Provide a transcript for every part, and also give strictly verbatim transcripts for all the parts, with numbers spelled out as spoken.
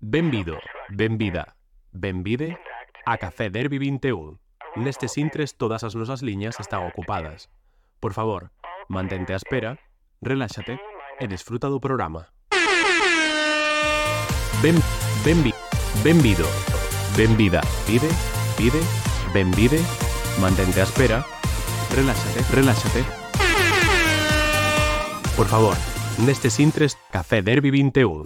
Benvido, benvida, benvide a Café Derby vinte e un. Nestes intres todas as nosas liñas están ocupadas. Por favor, mantente á espera, reláxate e desfruta do programa. Ben, benvi, benvido, benvida, pide, pide, benvide, mantente á espera, reláxate, reláxate. Por favor, nestes intres Café Derby vinte e un.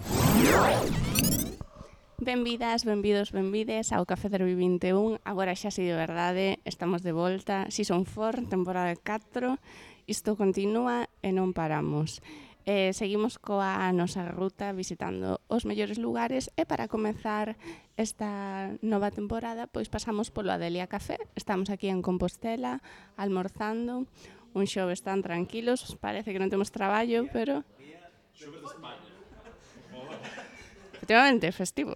Benvidas, benvidos, benvides ao Café Derby vinte e un. Agora xa si de verdade, estamos de volta. Season four, temporada catro. Isto continúa e non paramos. Eh, seguimos coa nosa ruta visitando os mellores lugares e para comezar esta nova temporada pois pasamos polo Adelia Café. Estamos aquí en Compostela, almorzando. Un xoves tan tranquilos, parece que non temos traballo, pero... Xoves de España. Efectivamente, festivo.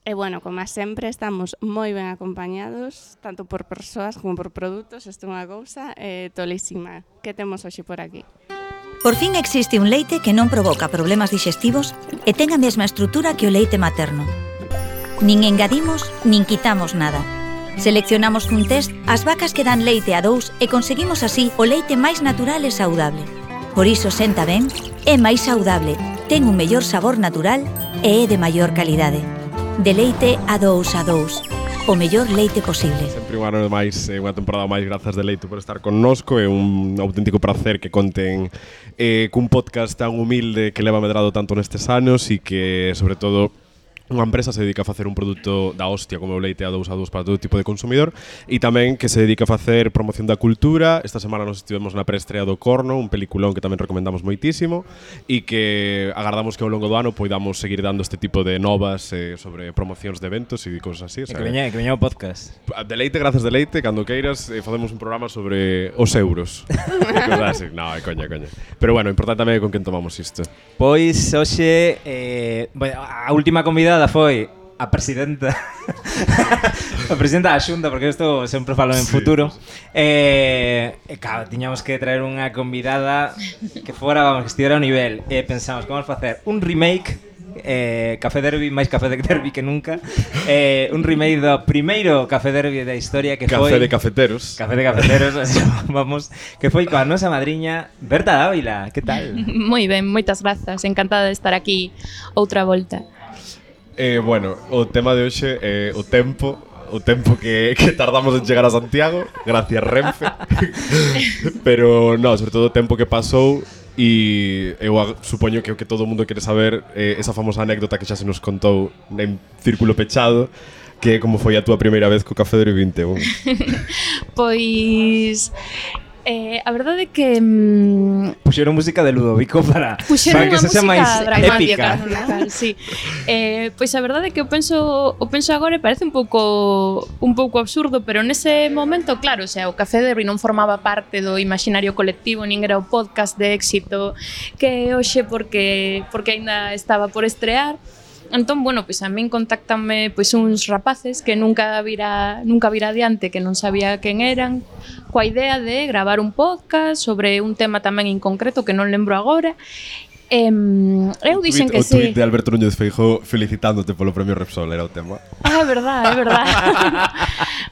E bueno, como sempre, estamos moi ben acompañados, tanto por persoas como por produtos. Isto é unha cousa eh, tolísima. Que temos hoxe por aquí? Por fin existe un leite que non provoca problemas digestivos e ten a mesma estrutura que o leite materno. Nin engadimos, nin quitamos nada. Seleccionamos cun test as vacas que dan leite a dous e conseguimos así o leite máis natural e saudable. Por iso senta ben, é máis saudable, ten un mellor sabor natural e é de maior calidade. De leite a dous a dous, o mellor leite posible. Sempre un ano máis, unha temporada máis, grazas de Leite por estar connosco. É un auténtico prazer que conten eh, cun podcast tan humilde que leva medrado tanto nestes anos e que, sobre todo, unha empresa se dedica a facer un produto da hostia como o leite a dous a dous para todo tipo de consumidor e tamén que se dedica a facer promoción da cultura. Esta semana nos estivemos na preestrea do Corno, un peliculón que tamén recomendamos moitísimo e que agardamos que ao longo do ano poidamos seguir dando este tipo de novas eh, sobre promocións de eventos e cousas así. O sea, que veña, que veña o podcast. De Leite, grazas de Leite, cando queiras eh, facemos un programa sobre os euros. Así. No, é coña, coña. Pero bueno, importante tamén con quen tomamos isto. Pois hoxe eh, bueno, a última convidada foi a presidenta a presidenta da Xunta, porque isto sempre falo en sí. futuro. Eh, e claro, tiñamos que traer unha convidada que fora, vamos, que estivera ao nivel. E pensamos, como vamos facer un remake, eh, Café Derby, máis Café Derby que nunca. Eh, un remake do primeiro Café Derby da historia que Café foi de cafeteros. Café de cafeteros, vamos, que foi coa nosa madriña Berta Dávila. Que tal? Moi ben, moitas grazas, encantada de estar aquí outra volta. Eh, bueno, o tema de hoxe é o tempo, o tempo que, que tardamos en chegar a Santiago, gracias Renfe. Pero, no, sobre todo o tempo que pasou e eu supoño que o que todo o mundo quere saber é esa famosa anécdota que xa se nos contou en círculo pechado, que como foi a túa primeira vez co Café Derby vinte e un. Pois... Eh, a verdade é que mm, puxeron música de Ludovico para, para que se xa máis dramática, épica. Sí. Eh, pois a verdade é que eu penso, o penso agora e parece un pouco un pouco absurdo, pero nese momento, claro, o sea, o Café Derby non formaba parte do imaginario colectivo, nin era o podcast de éxito que hoxe porque porque aínda estaba por estrear. Entón, bueno, pois a min contáctanme pois uns rapaces que nunca vira nunca vira adiante, que non sabía quen eran, coa idea de gravar un podcast sobre un tema tamén en concreto que non lembro agora. Eh, eu dixen que sí. O tweet de Alberto Núñez Feijóo felicitándote polo premio Repsol era o tema. Ah, é verdade, é verdade.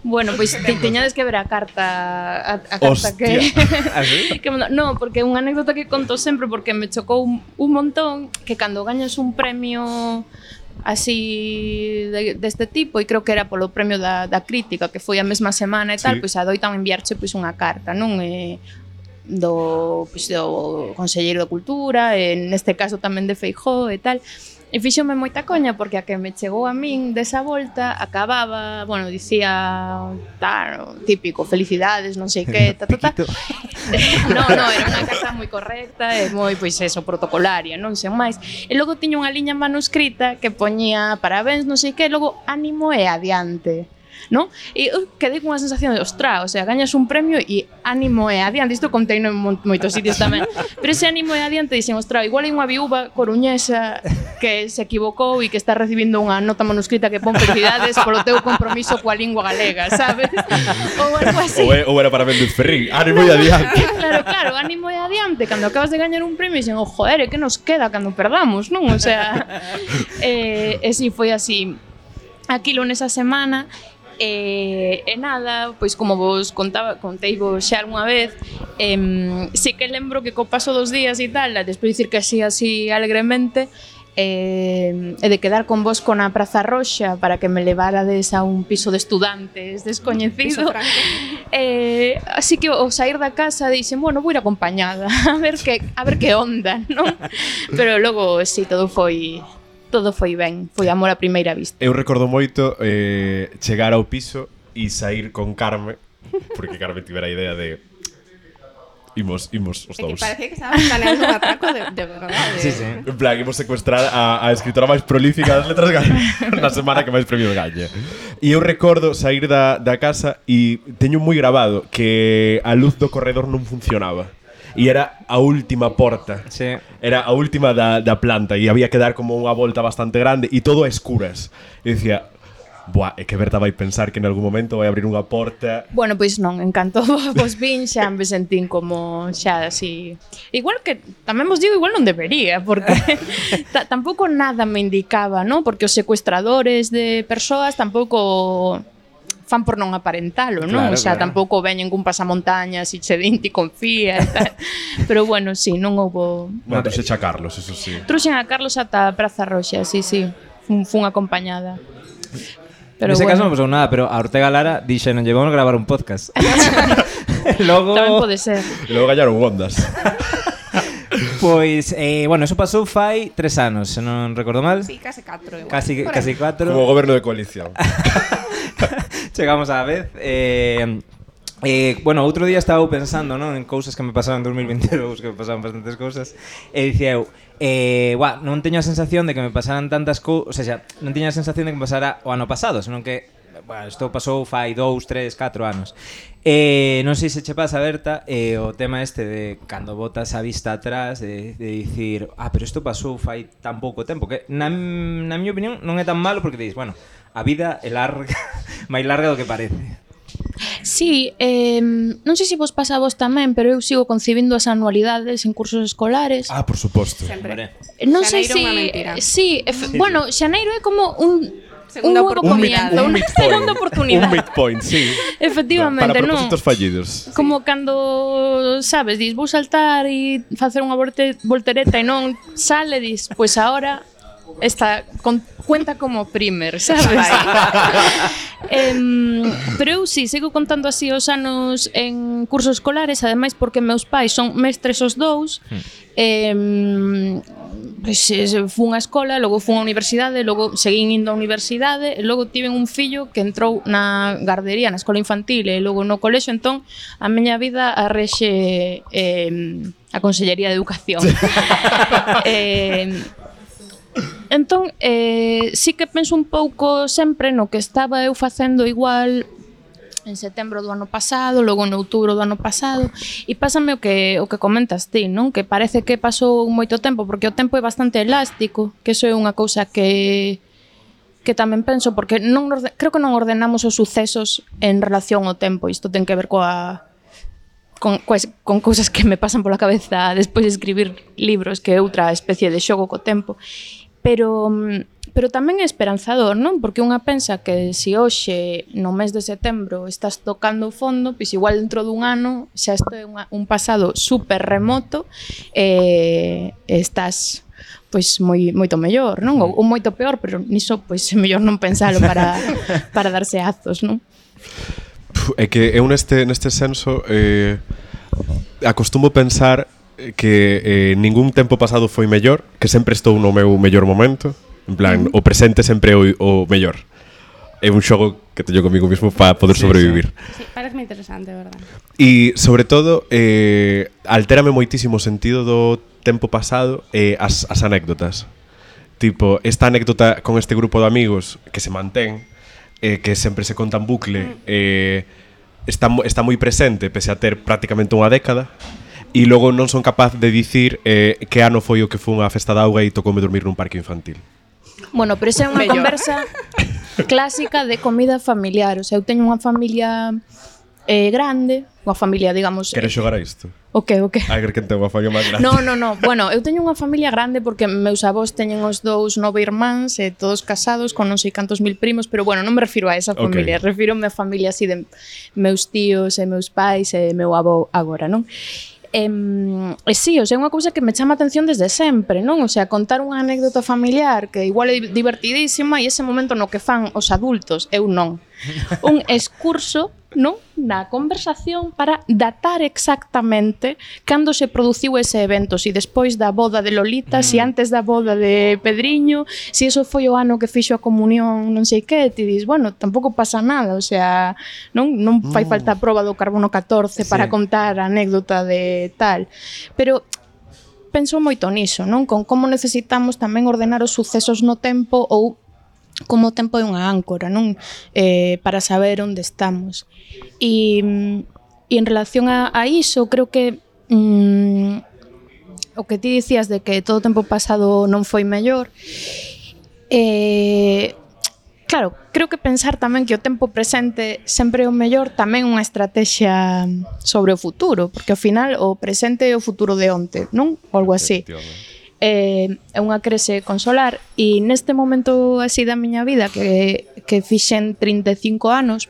Bueno, pois te, teñades que ver a carta a, a carta Hostia. que, ¿Así? que no, porque é unha anécdota que conto sempre porque me chocou un, un montón que cando gañas un premio así de, deste tipo, e creo que era polo premio da, da crítica que foi a mesma semana e tal, sí. Pois adoitan enviarche pois unha carta, non? E, do, pois, do Conselleiro de Cultura, e neste caso tamén de Feijóo e tal. E fíxome moita coña porque a que me chegou a min desa volta acababa, bueno, dicía tal, típico, felicidades, non sei que, ta, ta, ta. No, no, era unha carta moi correcta e moi, pois eso, protocolaria, non sei máis. E logo tiña unha liña manuscrita que poñía parabéns, non sei que, e logo ánimo e adiante. non? E eu quedei con unha sensación de, ostra, o sea, gañas un premio e ánimo e adiante, isto contei en moitos sitios tamén, pero ese ánimo e adiante dixen, ostra, igual hai unha viúva coruñesa que se equivocou e que está recibindo unha nota manuscrita que pon felicidades polo teu compromiso coa lingua galega, sabes? Ou algo así. Ou, é, ou era para Méndez Ferrín, ánimo e adiante. Claro, claro, ánimo e adiante, cando acabas de gañar un premio e dixen, oh, joder, que nos queda cando perdamos, non? O sea, eh, e si foi así aquilo nesa semana. E, e nada, pois como vos contaba, contei vos xa algunha vez, eh, sí que lembro que co paso dos días e tal, despois de dicir que así, así alegremente, eh, e de quedar con vos con a Praza Roxa para que me levarades a un piso de estudantes descoñecido, eh, así que ao sair da casa dixen, bueno, vou ir acompañada a ver que, a ver que onda, non? Pero logo, si, sí, todo foi... todo foi ben, foi amor a primeira vista. Eu recordo moito eh, chegar ao piso e sair con Carme, porque Carme tivera a idea de imos, imos os dous. É que parecía que estábamos planeando un atraco de, de verdade. Sí, sí. En plan, imos secuestrar a, a escritora máis prolífica das letras galegas na semana que máis premios gañe. E eu recordo sair da, da casa e teño moi grabado que a luz do corredor non funcionaba. E era a última porta. Sí. Era a última da, da planta e había que dar como unha volta bastante grande e todo a escuras. E dicía, buah, é que Berta vai pensar que en algún momento vai abrir unha porta. Bueno, pois non, en canto vos vin xa me sentín como xa así. Igual que tamén vos digo, igual non debería, porque tampouco nada me indicaba, ¿no? Porque os secuestradores de persoas tampouco fan por non aparentalo, non? Claro, O sea, claro. tampouco veñen cun pasamontañas e che din ti confía e tal. Pero bueno, sí, non houbo... Bueno, trouxe a Carlos, eso sí. Truxen a Carlos ata a Praza Roxa, sí, sí. Fun, fun acompañada. Pero Nese bueno. caso non pasou nada, pero a Ortega Lara dixe non llevamos a gravar un podcast. Logo... Tamén pode ser. E logo gañaron ondas. Pois, eh, bueno, eso pasou fai tres anos, se non recordo mal. Sí, case catro igual. Casi, Por casi aí. cuatro. Como goberno de coalición. Chegamos á vez. Eh, eh, bueno, outro día estaba pensando, non, en cousas que me pasaron en dos mil veintidous, que me pasaron bastantes cousas, e dicía eu, eh, buah, non teño a sensación de que me pasaran tantas cousas, o sea, non teño a sensación de que me pasara o ano pasado, senón que, bueno, isto pasou fai dous, tres, catro anos. Eh, non sei se che pasa, Berta, eh, o tema este de cando botas a vista atrás, de, de dicir, ah, pero isto pasou fai tan pouco tempo, que na, na miña opinión non é tan malo, porque dices, bueno, a vida é larga, máis larga do que parece. Sí, eh, non sei se vos pasa a vos tamén, pero eu sigo concibindo as anualidades en cursos escolares. Ah, por suposto. Sempre. Non sei Xaneiro se... unha mentira. Sí, ef- bueno, xaneiro é como un... Segunda un nuevo oportunidade. comienzo, Un unha midpoint. segunda oportunidade. Un midpoint, sí. Efectivamente, Para non. propósitos fallidos. Como cando, sabes, dis, vou saltar e facer unha volte, voltereta e non sale, dis, pois agora esta con, cuenta como primer, sabes? em, pero eu sí, sigo contando así os anos en cursos escolares, ademais porque meus pais son mestres os dous. Hmm. Em, Pois, fun á escola, logo fun á universidade, logo seguín indo á universidade, e logo tiven un fillo que entrou na gardería, na escola infantil e logo no colexo, entón a miña vida arrexe eh, a Consellería de Educación. eh, entón, eh, sí que penso un pouco sempre no que estaba eu facendo igual en setembro do ano pasado, logo en outubro do ano pasado, e pásame o que o que comentas ti, non? Que parece que pasou moito tempo, porque o tempo é bastante elástico, que eso é unha cousa que que tamén penso, porque non orde, creo que non ordenamos os sucesos en relación ao tempo, isto ten que ver coa con, coas, con cousas que me pasan pola cabeza despois de escribir libros, que é outra especie de xogo co tempo. Pero pero tamén é esperanzador, non? Porque unha pensa que se hoxe, no mes de setembro, estás tocando o fondo, pois igual dentro dun ano xa isto é unha, un pasado super remoto e estás pois moi moito mellor, non? Ou, ou moito peor, pero niso pois é mellor non pensalo para para darse azos, non? É que eu neste neste senso eh, acostumo pensar que eh, ningún tempo pasado foi mellor, que sempre estou no meu mellor momento. En plan, o presente sempre é o, o mellor. É un xogo que teño comigo mismo para poder Sí, sobrevivir. Sí, parece moi interesante, verdad. E, sobre todo, eh, altérame moitísimo o sentido do tempo pasado eh, as, as anécdotas. Tipo, esta anécdota con este grupo de amigos que se mantén, eh, que sempre se conta en bucle, eh, está, está moi presente, pese a ter prácticamente unha década, e logo non son capaz de dicir eh, que ano foi o que foi unha festa de auga e tocoume dormir nun parque infantil. Bueno, pero esa é unha conversa clásica de comida familiar. O sea, eu teño unha familia eh, grande, unha familia, digamos... Queres xogar a isto? O que, o que? A ver quen ten unha familia máis grande. No, no, no. Bueno, eu teño unha familia grande porque meus avós teñen os dous nove irmáns, eh, todos casados, con non sei cantos mil primos, pero bueno, non me refiro a esa familia, okay. Refiro-me a familia así de meus tíos e meus pais e meu avó agora, non? E, e sí, o sea, é unha cousa que me chama a atención desde sempre, non? O sea, contar unha anécdota familiar que igual é divertidísima e ese momento no que fan os adultos, eu non. Un excurso, non? Na conversación para datar exactamente cando se produciu ese evento, si despois da boda de Lolita, mm. si antes da boda de Pedriño, si eso foi o ano que fixo a comunión, non sei que, ti dis, bueno, tampouco pasa nada, o sea, non non fai falta a proba do carbono catorce para sí. contar a anécdota de tal. Pero penso moito niso, non? Con como necesitamos tamén ordenar os sucesos no tempo ou como o tempo é unha áncora, non? Eh, para saber onde estamos. E, e en relación a, a iso, creo que mm, o que ti dicías de que todo o tempo pasado non foi mellor, eh, claro, creo que pensar tamén que o tempo presente sempre é o mellor tamén unha estrategia sobre o futuro, porque ao final o presente é o futuro de onte, non? Ou algo así. É unha crese consolar e neste momento así da miña vida que, que fixen trinta e cinco anos,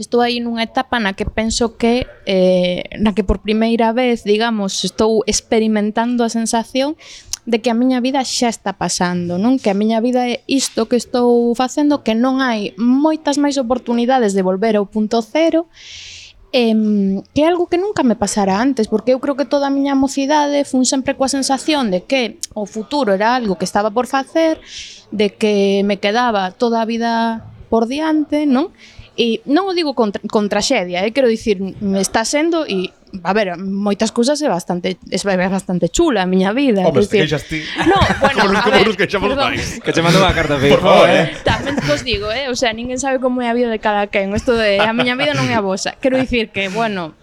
estou aí nunha etapa na que penso que eh, na que por primeira vez, digamos, estou experimentando a sensación de que a miña vida xa está pasando, non? Que a miña vida é isto que estou facendo, que non hai moitas máis oportunidades de volver ao punto cero. Eh, que é algo que nunca me pasara antes, porque eu creo que toda a miña mocidade fun sempre coa sensación de que o futuro era algo que estaba por facer, de que me quedaba toda a vida por diante, non? E non o digo con, con traxedia, eh? Quero dicir, me está sendo e a ver, moitas cousas é bastante é bastante chula a miña vida. Home, te queixas ti. No, bueno, como, a como ver, nos queixamos máis. Que che mandou a carta Por favor, eh. Tamén vos digo, eh, o sea, ninguén sabe como é a vida de cada quen. Isto de a miña vida non é a vosa. Quero dicir que, bueno,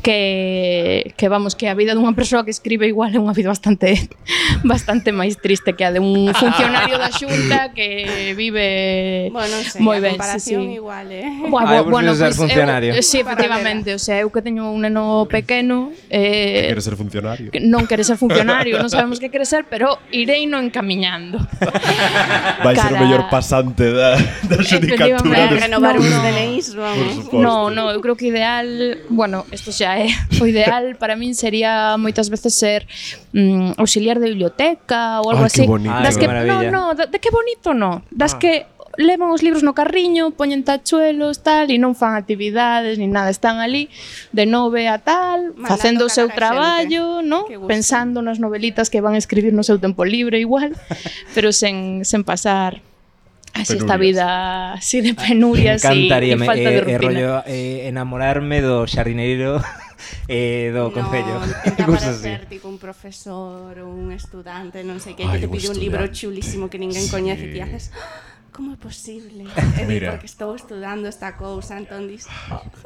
que que vamos, que a vida dunha persoa que escribe igual é unha vida bastante bastante máis triste que a de un funcionario da Xunta que vive bueno, sei, moi a ben, comparación sí, sí. igual, eh. Bueno, ah, bueno, ser pues, funcionario. Eu, sí, efectivamente, o sea, eu que teño un neno pequeno, eh, Quere ser funcionario. Que non quere ser funcionario, non sabemos que quere ser, pero irei no encamiñando. Vai ser o mellor pasante da, da xudicatura. Para renovar no, uns no. D N Is, vamos. No, no, eu creo que ideal, bueno, isto xa é, o ideal para min sería moitas veces ser mm, auxiliar de biblioteca ou algo Ay, así. que bonito. Das Ay, que, que no, maravilla. no, de, de que bonito no. Das Ah. que levan os libros no carriño, poñen tachuelos, tal, e non fan actividades ni nada, están ali de nove a tal, Mandando facendo o seu cagar a traballo, no? Que gusto. Pensando nas novelitas que van a escribir no seu tempo libre igual, pero sen, sen pasar así esta Penurias. vida así de penurias e, e falta de eh, rutina. rollo eh, enamorarme do xardineiro eh, do Concello. No, intenta Cosas así. parecer tipo un profesor ou un estudante, non sei que, Ay, que te un pide un libro estudante. chulísimo que ninguén Sí. coñece e ti haces como é posible? E di, Mira. porque estou estudando esta cousa, entón dis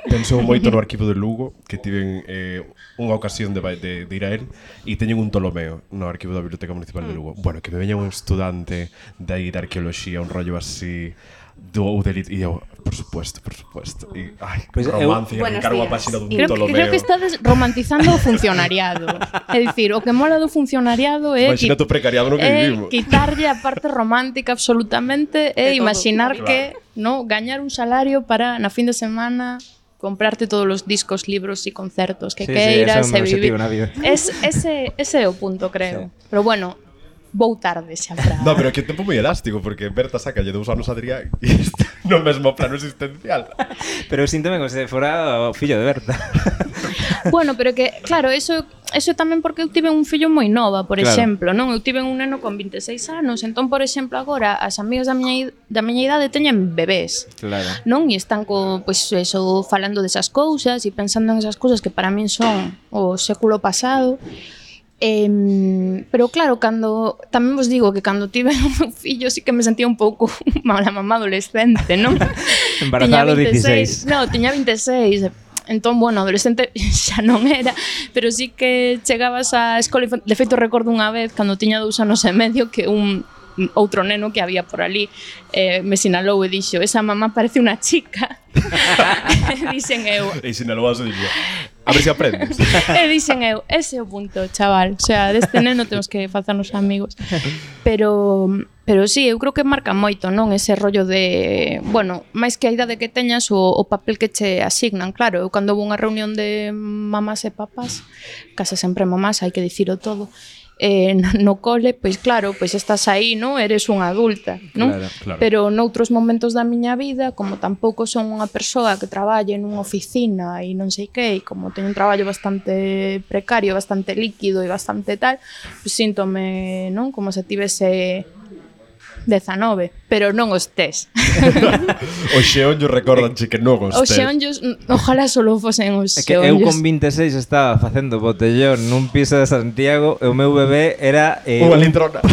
Pensou moito no arquivo de Lugo, que tiven eh, unha ocasión de, de, de ir a él, e teñen un Ptolomeo no arquivo da Biblioteca Municipal de Lugo. Bueno, que me veña un estudante de aí de arqueoloxía, un rollo así, do ou de lit, e eu, por supuesto, por supuesto. E, ai, Pues eu- romance, e Buenos arrancar unha días. páxina dun Creo que, Ptolomeo. creo que estades romantizando o funcionariado. É dicir, o que mola do funcionariado é Imagínate o precariado no que é vivimos. quitarlle a parte romántica absolutamente e De todo. imaginar Claro. que, no, gañar un salario para na fin de semana comprarte todos os discos, libros e concertos que Sí, sí, queiras ese é o e meu vivir. objetivo na vida. Es, ese, ese é o punto, creo. Sí. Pero bueno, vou tarde xa para... No, pero que tempo moi elástico, porque Berta sacalle dous anos a Adrián e isto no mesmo plano existencial. Pero eu síntome como se fora o fillo de Berta. Bueno, pero que, claro, eso eso tamén porque eu tive un fillo moi nova, por Claro. exemplo, non? Eu tive un neno con vinte e seis anos, entón, por exemplo, agora as amigas da miña, id- da miña idade teñen bebés, Claro. non? E están co, pois, eso, falando desas cousas e pensando en esas cousas que para min son o século pasado. Eh, pero claro, cando tamén vos digo que cando tive o meu fillo sí que me sentía un pouco mala mamá adolescente, non? Embarazada a los dieciséis. No, tiña veintiséis. Entón, bueno, adolescente xa non era, pero sí que chegabas á escola. De feito, recordo unha vez, cando tiña dous anos e medio, que un outro neno que había por ali eh, me sinalou e dixo: esa mamá parece unha chica. E dixen eu... E sinalou a su dixo: a ver se aprendes. E dixen eu, ese é o punto, chaval. O sea, deste neno temos que facernos amigos. Pero... Pero sí, eu creo que marca moito, non? Ese rollo de... Bueno, máis que a idade que teñas, o, o papel que che asignan. Claro, eu cando vou a unha reunión de mamás e papás, case sempre mamás, hai que diciro todo, eh, no cole, pois claro, pois estás aí, non? Eres unha adulta, non? Claro, claro. Pero noutros momentos da miña vida, como tampouco son unha persoa que traballe nunha oficina e non sei que, e como teño un traballo bastante precario, bastante líquido e bastante tal, pois síntome, non? Como se tivese dezanove, pero non os tes. Os xeonllos recordanche que non os Os tes. xeonllos, ojalá solo fosen os É que eu xeonllos. con veintiséis estaba facendo botellón nun piso de Santiago e o meu bebé era... Eh, Unha un- litrona.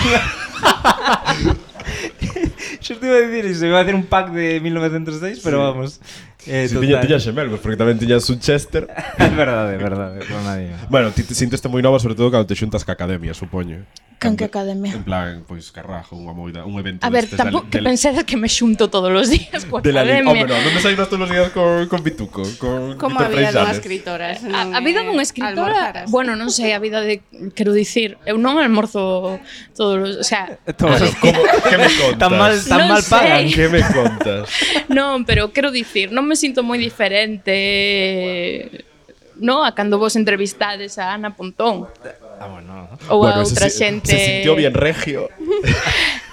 Xo te iba a dicir iso, iba a hacer un pack de mil novecientos seis, pero vamos. Eh, Si tiña, tiña xemelgos, porque tamén tiñas un Chester. É verdade, é verdade, por nadie. Bueno, ti te sinteste moi nova, sobre todo cando te xuntas ca academia, supoño. Con Cando- que academia? En plan, pois, carrajo, unha moida, un evento A ver, destes da- tampouco que del- pensera que me xunto todos os días coa de la li- academia. Hombre, no, non desayunas todos os días con, con Bituco, con Como Víctor a vida dunha Freixanes. escritora. se A, non a vida é dunha escritora, almorzaras. bueno, non sei, a vida de, quero dicir, eu non almorzo todos os, o sea, Todos Pero, os- como, que me contas? Tan mal, tan Non mal pagan. sei. Que me contas? non, pero quero dicir, non me sinto moi diferente, no, a cando vos entrevistades a Ana Pontón Ah, bueno. ou a Bueno, outra se, xente. se sintió bien regio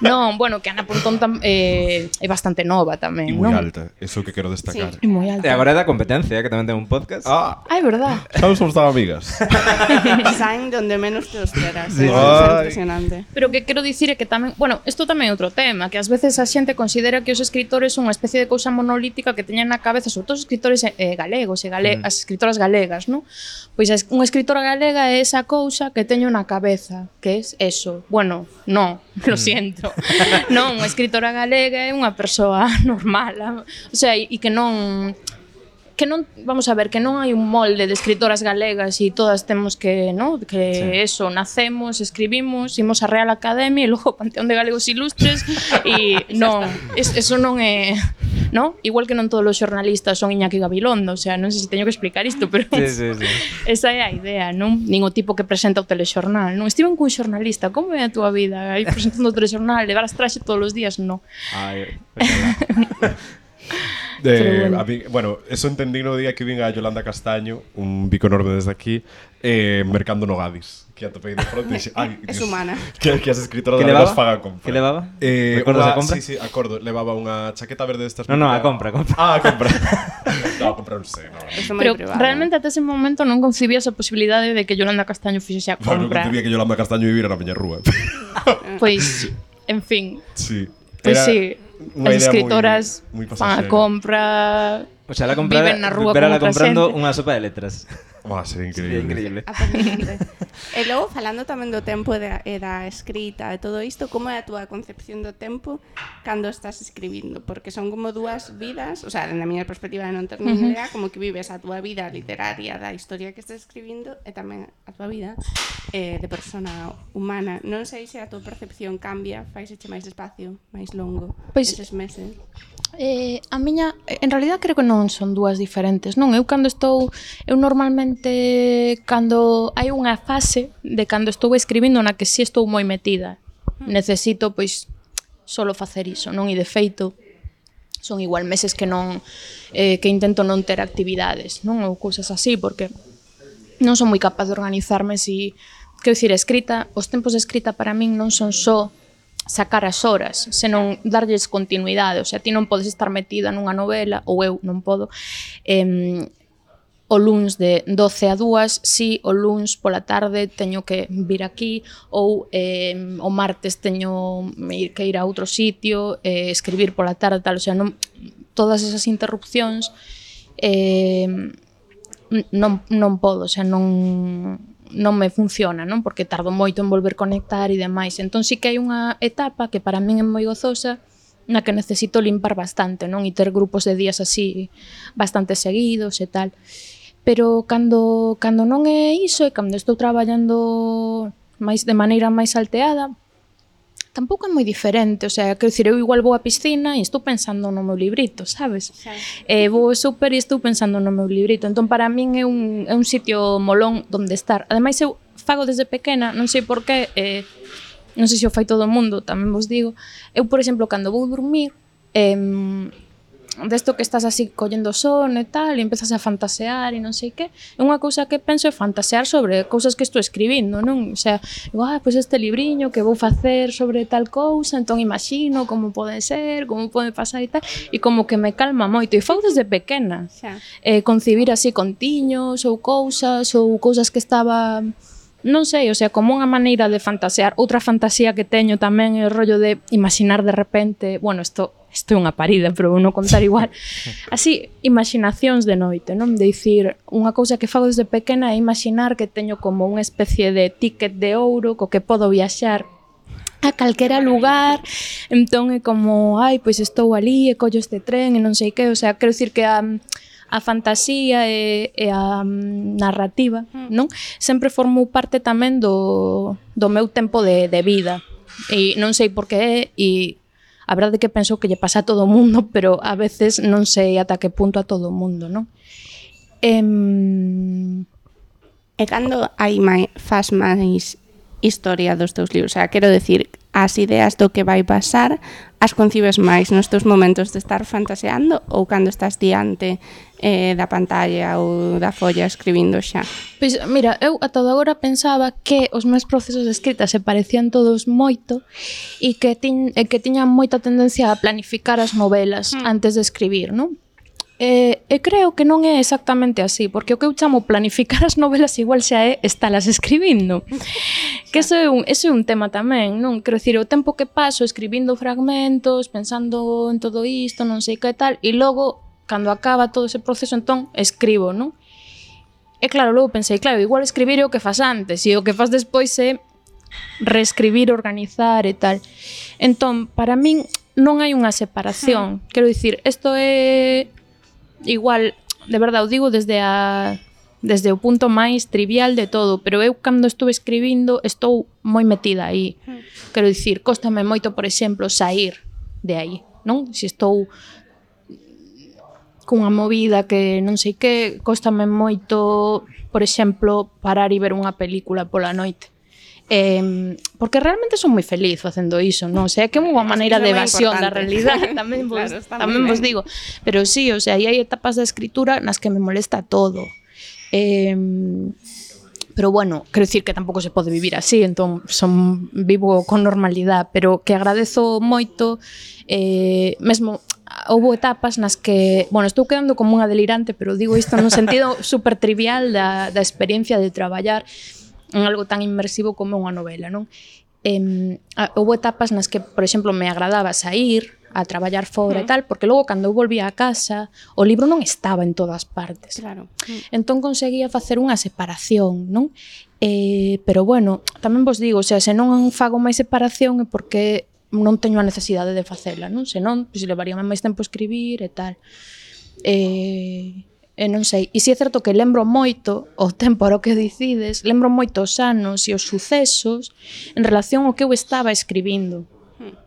Non, bueno, que Ana Pontón tam, eh, é bastante nova tamén, e moi non? alta. Eso que quero destacar. É moi alta. E agora é da competencia, que tamén ten un podcast. Ah, Ah, é verdad. xa nos somos tan amigas. Saen donde menos te os esperas. Sí. É Ai. impresionante. Pero que quero dicir é que tamén, bueno, isto tamén é outro tema, que ás veces a xente considera que os escritores son unha especie de cousa monolítica que teñen na cabeza, sobre todo os escritores eh, galegos e gale, mm. as escritoras galegas, non? Pois a, unha escritora galega é esa cousa que teño na cabeza, que é eso. Bueno, non, lo siento. Non, unha escritora galega é unha persoa normal, o sea, e que non que non, vamos a ver, que non hai un molde de escritoras galegas e todas temos que, ¿no? Que sí. Eso, nacemos, escribimos, imos á Real Academia e logo Panteón de Galegos Ilustres e non, es, eso non é, ¿no? Igual que non todos os xornalistas son Iñaki Gabilondo, o sea, non sei se teño que explicar isto, pero Sí, sí, sí. esa é a idea, non? Nin o tipo que presenta o telexornal, non? Estiven cun xornalista, como é a túa vida? Aí presentando o telexornal, levar as traxe todos os días, non. Ai, ojalá. De, Pero bueno. a mí, bueno, eso entendí no día que vin a Yolanda Castaño, un bico enorme desde aquí, eh, mercando no Gadis, que atopei de fronte e dixe, ai, Es Dios, humana. que, que as escritoras Que galegas levaba? fagan compra. Que levaba? Eh, Recordas unha- a compra? Sí, sí, acordo, levaba unha chaqueta verde destas. No, no, a compra, a compra. Ah, a compra. No, a compra non sei, no. Eso moi Pero privado. realmente até ese momento non concibías a posibilidade de que Yolanda Castaño fixese a Bueno, non compra. concebía que Yolanda Castaño vivira na miña rúa. Pois, en fin, Sí. pois Era sí, unha as idea escritoras moi- moi fan a pasajera. compra. O sea, la compra, Viven na rúa verala con outra comprando xente. unha sopa de letras. Buah, sería Sería increíble. increíble. Aparentemente. E logo, falando tamén do tempo e da, e da escrita e todo isto, como é a túa concepción do tempo cando estás escribindo? Porque son como dúas vidas, o sea, na miña perspectiva de non ter nin idea, como que vives a túa vida literaria da historia que estás escribindo e tamén a túa vida eh, de persona humana. Non sei se a túa percepción cambia, faiseche máis despacio, máis longo, Pois- eses meses. Eh, a miña, en realidad creo que non son dúas diferentes, non? Eu cando estou, eu normalmente cando hai unha fase de cando estou escribindo na que si estou moi metida, necesito pois solo facer iso, non? E de feito son igual meses que non eh, que intento non ter actividades, non? Ou cousas así, porque non son moi capaz de organizarme si, quero dicir, a escrita, os tempos de escrita para min non son só sacar as horas, senón darlles continuidade, o sea, ti non podes estar metida nunha novela, ou eu non podo, eh, o luns de doce a dúas, si o luns pola tarde teño que vir aquí, ou eh, o martes teño que ir a outro sitio, eh, escribir pola tarde, tal, o sea, non, todas esas interrupcións eh, non, non podo, o sea, non non me funciona, non? Porque tardo moito en volver conectar e demais. Entón sí que hai unha etapa que para min é moi gozosa, na que necesito limpar bastante, non? E ter grupos de días así bastante seguidos e tal. Pero cando, cando non é iso e cando estou traballando máis de maneira máis salteada, tampouco é moi diferente, o sea, quero dicir, eu igual vou á piscina e estou pensando no meu librito, sabes? Sí. Eh, vou ao súper e estou pensando no meu librito, entón para min é un, é un sitio molón onde estar. Ademais eu fago desde pequena, non sei por qué, eh, non sei se o fai todo o mundo, tamén vos digo, eu, por exemplo, cando vou dormir, eh, desto que estás así collendo son e tal, e empezas a fantasear e non sei que, é unha cousa que penso é fantasear sobre cousas que estou escribindo, non? O sea, digo, ah, pois este libriño que vou facer sobre tal cousa, entón imagino como pode ser, como pode pasar e tal, e como que me calma moito, e fago desde pequena, Xa. eh, concibir así contiños ou cousas, ou cousas que estaba... Non sei, o sea, como unha maneira de fantasear. Outra fantasía que teño tamén é o rollo de imaginar de repente, bueno, isto isto é unha parida, pero vou non contar igual. Así, imaginacións de noite, non? De dicir, unha cousa que fago desde pequena é imaginar que teño como unha especie de ticket de ouro co que podo viaxar a calquera lugar, entón é como, ai, pois estou ali e collo este tren e non sei que, o sea, quero dicir que a a fantasía e, e a um, narrativa, non? Sempre formou parte tamén do, do meu tempo de, de vida. E non sei por que é, e a verdade é que penso que lle pasa a todo o mundo, pero a veces non sei ata que punto a todo o mundo, non? Em... E cando hai máis, faz máis historia dos teus libros? O sea, quero decir, as ideas do que vai pasar as concibes máis nos teus momentos de estar fantaseando ou cando estás diante eh, da pantalla ou da folla escribindo xa? Pois, mira, eu ata agora pensaba que os meus procesos de escrita se parecían todos moito e que, tin, e que tiñan moita tendencia a planificar as novelas mm. antes de escribir, non? E, e creo que non é exactamente así, porque o que eu chamo planificar as novelas igual xa é estalas escribindo. Que eso é un, eso é un tema tamén, non? Quero dicir, o tempo que paso escribindo fragmentos, pensando en todo isto, non sei que tal, e logo, cando acaba todo ese proceso, entón, escribo, non? E claro, logo pensei, claro, igual escribir é o que fas antes, e o que fas despois é reescribir, organizar e tal. Entón, para min, non hai unha separación. Quero dicir, isto é... igual, de verdade, o digo desde a desde o punto máis trivial de todo, pero eu cando estou escribindo estou moi metida aí. Quero dicir, cóstame moito, por exemplo, sair de aí, non? Se estou cunha movida que non sei que, cóstame moito, por exemplo, parar e ver unha película pola noite. Eh, porque realmente son moi feliz facendo iso, non? O sea, que é unha maneira de evasión da realidade, tamén vos, claro, tamén vos digo. Pero sí, o sea, hai etapas da escritura nas que me molesta todo. Eh, pero bueno, quero dicir que tampouco se pode vivir así, entón son, vivo con normalidade, pero que agradezo moito, eh, mesmo houve etapas nas que, bueno, estou quedando como unha delirante, pero digo isto no sentido super trivial da, da experiencia de traballar en algo tan inmersivo como unha novela, non? Eh, houve etapas nas que, por exemplo, me agradaba sair a traballar fora uh -huh. e tal, porque logo cando eu volvía a casa, o libro non estaba en todas partes. Claro. Entón conseguía facer unha separación, non? Eh, pero bueno, tamén vos digo, o sea, se non fago máis separación é porque non teño a necesidade de facela, non? Se non, pois levaríame máis tempo escribir e tal. Eh... E non sei, e si é certo que lembro moito o tempo ao que decides, lembro moito os anos e os sucesos en relación ao que eu estaba escribindo,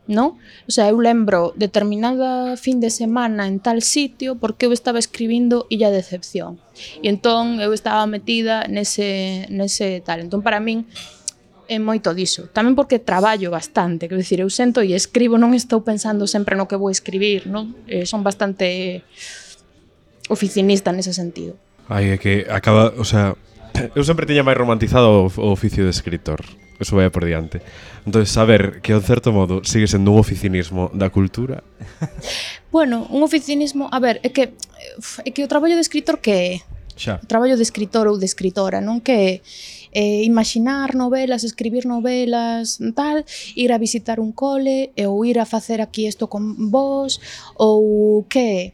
non? O sea, eu lembro determinada fin de semana en tal sitio porque eu estaba escribindo Illa de Decepción, e entón eu estaba metida nese, nese tal, entón para min é moito diso, tamén porque traballo bastante, quero dicir, eu sento e escribo, non estou pensando sempre no que vou escribir, non? Eh, son bastante oficinista nese sentido. Ai, é que acaba, o sea, eu sempre tiña máis romantizado o, o oficio de escritor. Eso vai por diante. Entón, saber que, en certo modo, sigue sendo un oficinismo da cultura. Bueno, un oficinismo, a ver, é que é que o traballo de escritor que é? Xa. O traballo de escritor ou de escritora, non? Que é eh, imaginar novelas, escribir novelas, tal, ir a visitar un cole, ou ir a facer aquí isto con vos, ou que é?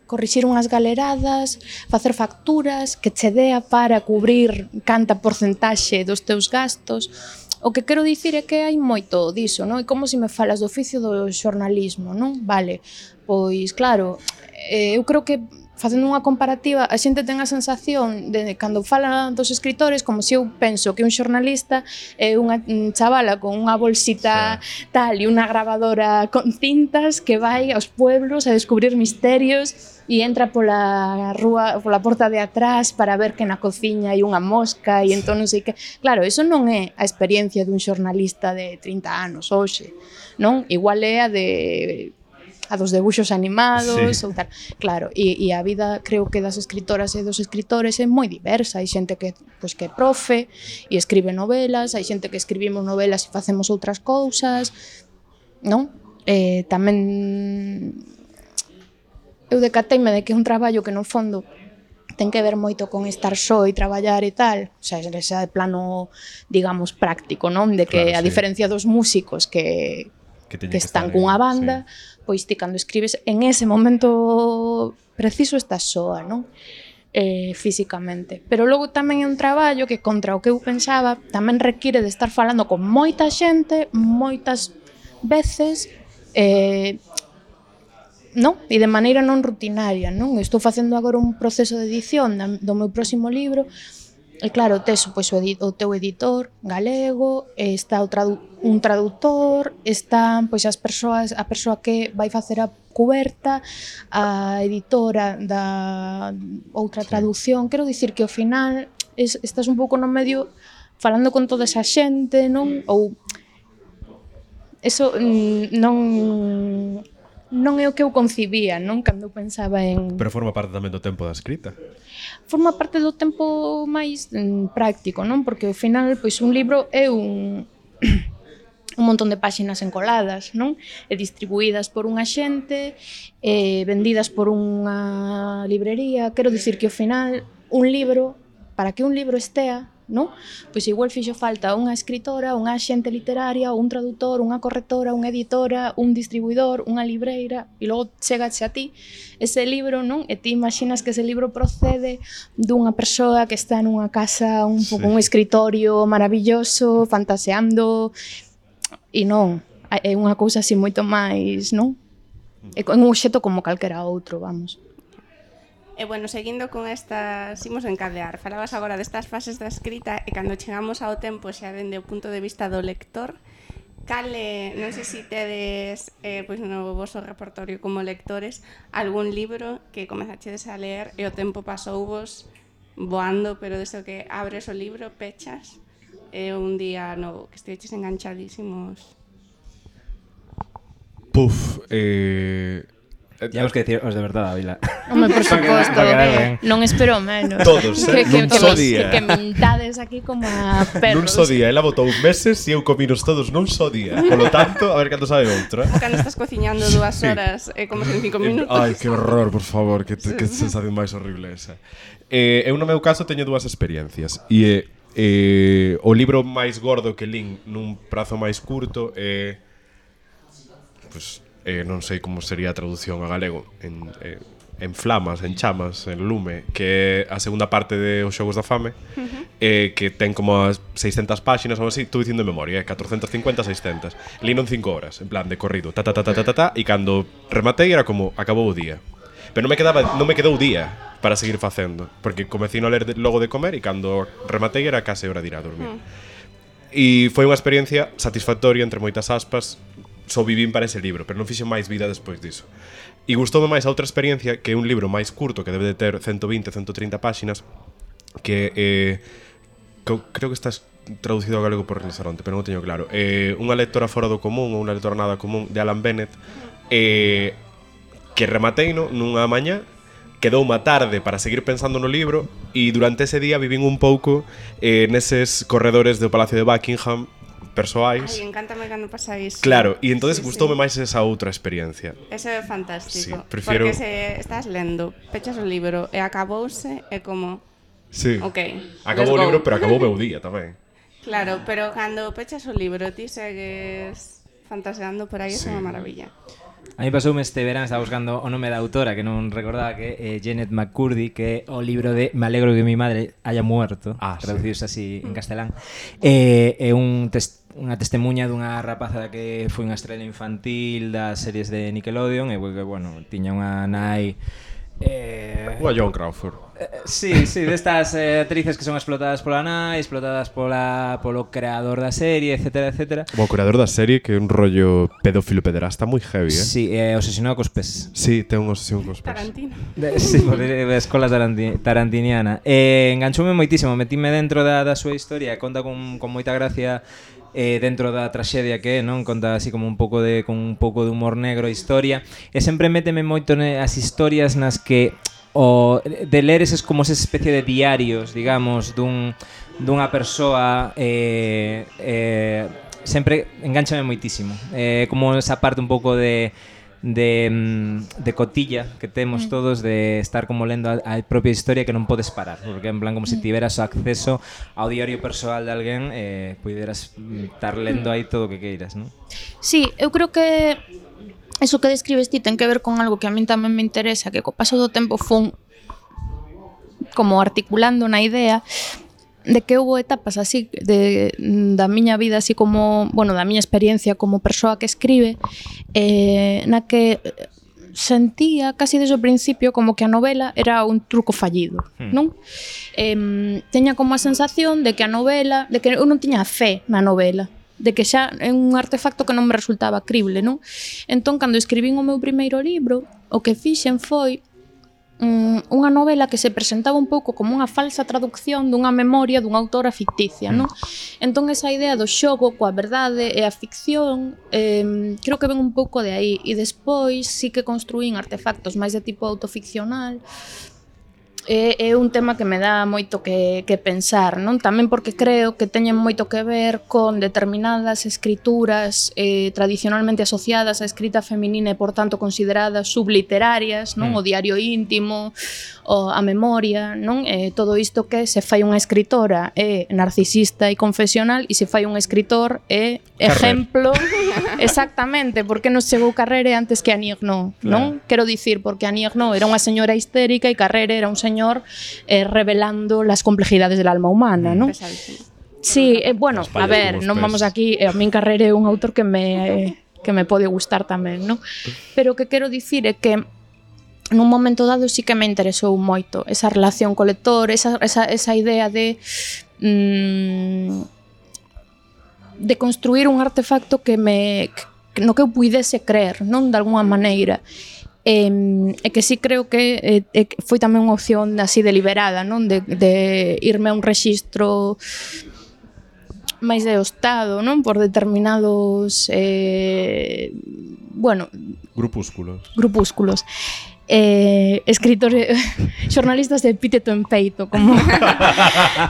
corrixir unhas galeradas, facer facturas, que che dea para cubrir canta porcentaxe dos teus gastos. O que quero dicir é que hai moito diso, non? E como se me falas do oficio do xornalismo, non? Vale, pois claro, eh, eu creo que facendo unha comparativa, a xente ten a sensación de cando fala dos escritores como se eu penso que un xornalista é unha chavala con unha bolsita sí. tal e unha grabadora con cintas que vai aos pueblos a descubrir misterios e entra pola rúa, pola porta de atrás para ver que na cociña hai unha mosca e entón non sei que. Claro, eso non é a experiencia dun xornalista de trinta anos hoxe, non? Igual é a de a dos debuxos animados sí. ou tal. Claro, e, e a vida creo que das escritoras e dos escritores é moi diversa. Hai xente que, pois, que é profe e escribe novelas, hai xente que escribimos novelas e facemos outras cousas, non? Eh, tamén eu decateime de que é un traballo que no fondo ten que ver moito con estar só e traballar e tal, o sea, ese plano, digamos, práctico, non? De que claro, a sí. diferencia dos músicos que que, que están cunha banda, sí. pois ti cando escribes en ese momento preciso estás soa, non? Eh, físicamente. Pero logo tamén é un traballo que contra o que eu pensaba tamén require de estar falando con moita xente, moitas veces, eh, non? E de maneira non rutinaria, non? Estou facendo agora un proceso de edición do meu próximo libro. E claro, tes pois, o, edi- o teu editor galego, está o tradu- un traductor, están pois, as persoas, a persoa que vai facer a cuberta, a editora da outra traducción. Quero dicir que ao final es, estás un pouco no medio falando con toda esa xente, non? Ou eso non non é o que eu concibía, non? Cando eu pensaba en... Pero forma parte tamén do tempo da escrita. Forma parte do tempo máis mm, práctico, non? Porque ao final, pois un libro é un un montón de páxinas encoladas, non? E distribuídas por unha xente, e vendidas por unha librería. Quero dicir que ao final un libro, para que un libro estea, non? Pois igual fixo falta unha escritora, unha axente literaria, un traductor, unha correctora, unha editora, un distribuidor, unha libreira, e logo chegache a ti ese libro, non? E ti imaginas que ese libro procede dunha persoa que está nunha casa, un pouco sí. un escritorio maravilloso, fantaseando, e non, é unha cousa así moito máis, non? É un obxecto como calquera outro, vamos. E bueno, seguindo con estas, imos encadear, falabas agora destas fases da escrita e cando chegamos ao tempo xa dende o punto de vista do lector, cale, non sei se tedes eh, pois no voso repertorio como lectores algún libro que comezachedes a ler e o tempo pasouvos voando, pero deso que abres o libro, pechas e un día no, que esteches enganchadísimos. Puf, eh... Temos que decir os de verdade, Ávila. Home, por suposto, non espero menos. Todos, eh? Que, nun que, só que, día. que mintades aquí como a perros. Nun só día, ela botou meses e eu cominos todos nun só día. Por lo tanto, a ver cando sabe outro, eh? Cando estás cociñando dúas horas e eh, como en cinco minutos. Ai, que horror, por favor, que, que sensación máis horrible esa. Eh, eu no meu caso teño dúas experiencias e eh, eh, o libro máis gordo que lín nun prazo máis curto é eh, pues, eh, non sei como sería a traducción a galego en, eh, en flamas, en chamas, en lume, que é a segunda parte de Os Xogos da Fame, uh-huh. eh, que ten como as seiscentas páxinas ou así, estou dicindo de memoria, eh, catrocentas cincuenta, seiscentas. Lino en cinco horas, en plan de corrido, ta ta ta ta ta ta, ta e cando rematei era como acabou o día. Pero non me quedaba, non me quedou día para seguir facendo, porque comecei a ler de, logo de comer e cando rematei era case hora de ir a dormir. Uh-huh. E foi unha experiencia satisfactoria entre moitas aspas. Só vivín para ese libro, pero non fixen máis vida despois diso. E gustoume máis a outra experiencia, que é un libro máis curto, que debe de ter ciento veinte, ciento trinta páxinas, que eh, que creo que está traducido ao galego por Rinoceronte, pero non teño claro. Eh, unha lectora fora do común, ou unha lectora nada común, de Alan Bennett, eh, que remateino nunha mañá, quedou unha tarde para seguir pensando no libro, e durante ese día vivín un pouco eh, neses corredores do Palacio de Buckingham, persoais. Ai, encántame cando pasa iso. Claro, e entonces sí, gustoume sí. máis esa outra experiencia. Eso é fantástico. Sí, prefiero... Porque se estás lendo, pechas o libro e acabouse, é como... Sí. Ok, acabou o libro, pero acabou o meu día tamén. Claro, pero cando pechas o libro ti segues fantaseando por aí, sí. É unha maravilla. A mí pasoume este verán, estaba buscando o nome da autora, que non recordaba, que é eh, Janet McCurdy, que é o libro de Me alegro que mi madre haya muerto, ah, traducidos sí. así en castelán. É eh, eh, un test unha testemunha dunha rapaza que foi unha estrela infantil das series de Nickelodeon e que, bueno, tiña unha nai eh, Unha Joan Crawford. Eh, sí, sí, destas eh, actrices que son explotadas pola nai, explotadas pola, polo creador da serie, etcétera, etcétera. O creador da serie que é un rollo pedófilo pederasta moi heavy, eh? Sí, eh, obsesionado cos pés. Sí, ten unha obsesión cos pés. Tarantino. De, sí, por de escola taranti, tarantiniana. Eh, enganchoume moitísimo, metíme dentro da, da súa historia, conta con, con moita gracia eh, dentro da traxedia que é, non? Conta así como un pouco de con un pouco de humor negro a historia, e sempre méteme moito as historias nas que o de ler eses como esa especie de diarios, digamos, dun dunha persoa eh, eh, sempre enganchame moitísimo. Eh, como esa parte un pouco de de, de cotilla que temos todos de estar como lendo a, a propia historia que non podes parar, porque en plan como se tiveras acceso ao diario persoal de alguén eh, puideras estar lendo aí todo o que queiras, non? Sí, eu creo que eso que describes ti ten que ver con algo que a min tamén me interesa, que co paso do tempo fun como articulando na idea de que houve etapas así de, da miña vida, así como, bueno, da miña experiencia como persoa que escribe, eh, na que sentía casi desde o principio como que a novela era un truco fallido, hmm. non? Eh, teña como a sensación de que a novela, de que eu non tiña fe na novela, de que xa é un artefacto que non me resultaba crible, non? Entón, cando escribín o meu primeiro libro, o que fixen foi um, unha novela que se presentaba un pouco como unha falsa traducción dunha memoria dunha autora ficticia, non? Entón, esa idea do xogo coa verdade e a ficción eh, creo que ven un pouco de aí, e despois sí que construín artefactos máis de tipo autoficcional. É, é un tema que me dá moito que, que pensar, non? Tamén porque creo que teñen moito que ver con determinadas escrituras eh, tradicionalmente asociadas á escrita feminina e, por tanto, consideradas subliterarias, non? Mm. O diario íntimo, o a memoria, non? Eh, todo isto que se fai unha escritora é narcisista e confesional, e se fai un escritor é exemplo. Exactamente, porque nos chegou Carrere antes que Annie Ernaux, non? Claro. Quero dicir, porque Annie Ernaux era unha señora histérica e Carrere era un señor Eh, revelando las complejidades del alma humana, ¿no? Sí, eh, bueno, a ver, non vamos aquí, eh, a min Carrere é un autor que me eh, que me pode gustar tamén, ¿no? Pero o que quero dicir é que nun momento dado sí que me interesou moito esa relación co lector, esa, esa, esa idea de mmm, de construir un artefacto que me que, no que eu puidese creer, non? De alguna maneira. E, e que sí creo que e, foi tamén unha opción así deliberada, non? De, de irme a un rexistro máis de Estado, non? Por determinados eh, bueno, grupúsculos grupúsculos eh, escritores xornalistas de epíteto en peito, como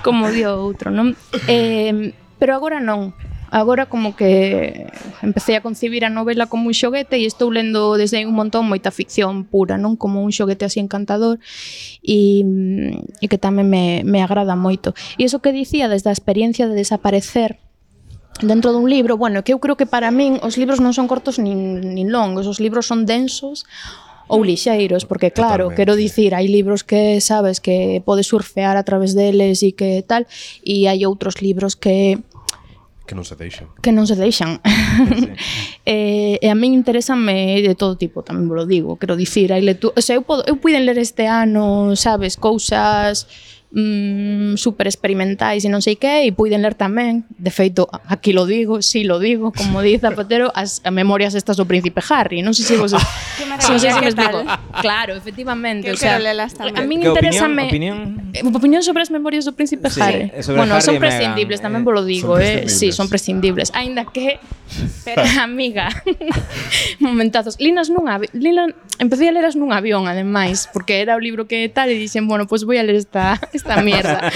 como dio outro, non? Eh, pero agora non. Agora como que empecé a concibir a novela como un xoguete e estou lendo desde un montón moita ficción pura, non? Como un xoguete así encantador e, e que tamén me, me agrada moito. E iso que dicía desde a experiencia de desaparecer dentro dun libro, bueno, que eu creo que para min os libros non son cortos nin, nin longos, os libros son densos ou lixeiros, porque claro, totalmente. Quero dicir, hai libros que sabes que podes surfear a través deles e que tal, e hai outros libros que que non se deixan. Que non se deixan. Sí. e, e a min interésame de todo tipo, tamén vos lo digo, quero dicir, hai lectura, o sea, eu podo, eu puiden ler este ano, sabes, cousas mm, super experimentais e non sei que, e puiden ler tamén, de feito, aquí lo digo, si sí lo digo, como di Zapatero, as memorias estas do Príncipe Harry, non sei se vos... non sei se me explico. Claro, efectivamente, o sea, a min interésame opinión, opinión? opinión sobre as memorias do Príncipe sí, Harry. Bueno, Harry son prescindibles, tamén vos lo digo, eh, sí, son prescindibles, aínda que pero amiga, momentazos. Linas nun avión, Lina, empecé a leras nun avión, ademais, porque era o libro que tal, e dixen, bueno, pois pues voy a ler esta, esta mierda,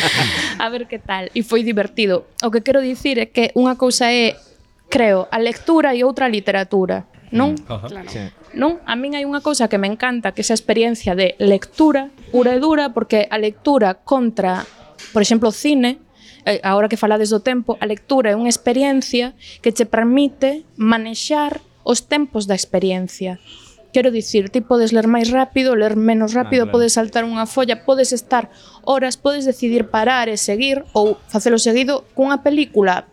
a ver que tal, e foi divertido. O que quero dicir é que unha cousa é, creo, a lectura e outra a literatura, non? Uh-huh. Claro. Sí. Non? A min hai unha cousa que me encanta, que é esa experiencia de lectura, pura e dura, porque a lectura contra, por exemplo, o cine, agora que falades do tempo, a lectura é unha experiencia que che permite manexar os tempos da experiencia. Quero dicir, ti podes ler máis rápido, ler menos rápido, ah, claro. Podes saltar unha folla, podes estar horas, podes decidir parar e seguir ou facelo seguido cunha película.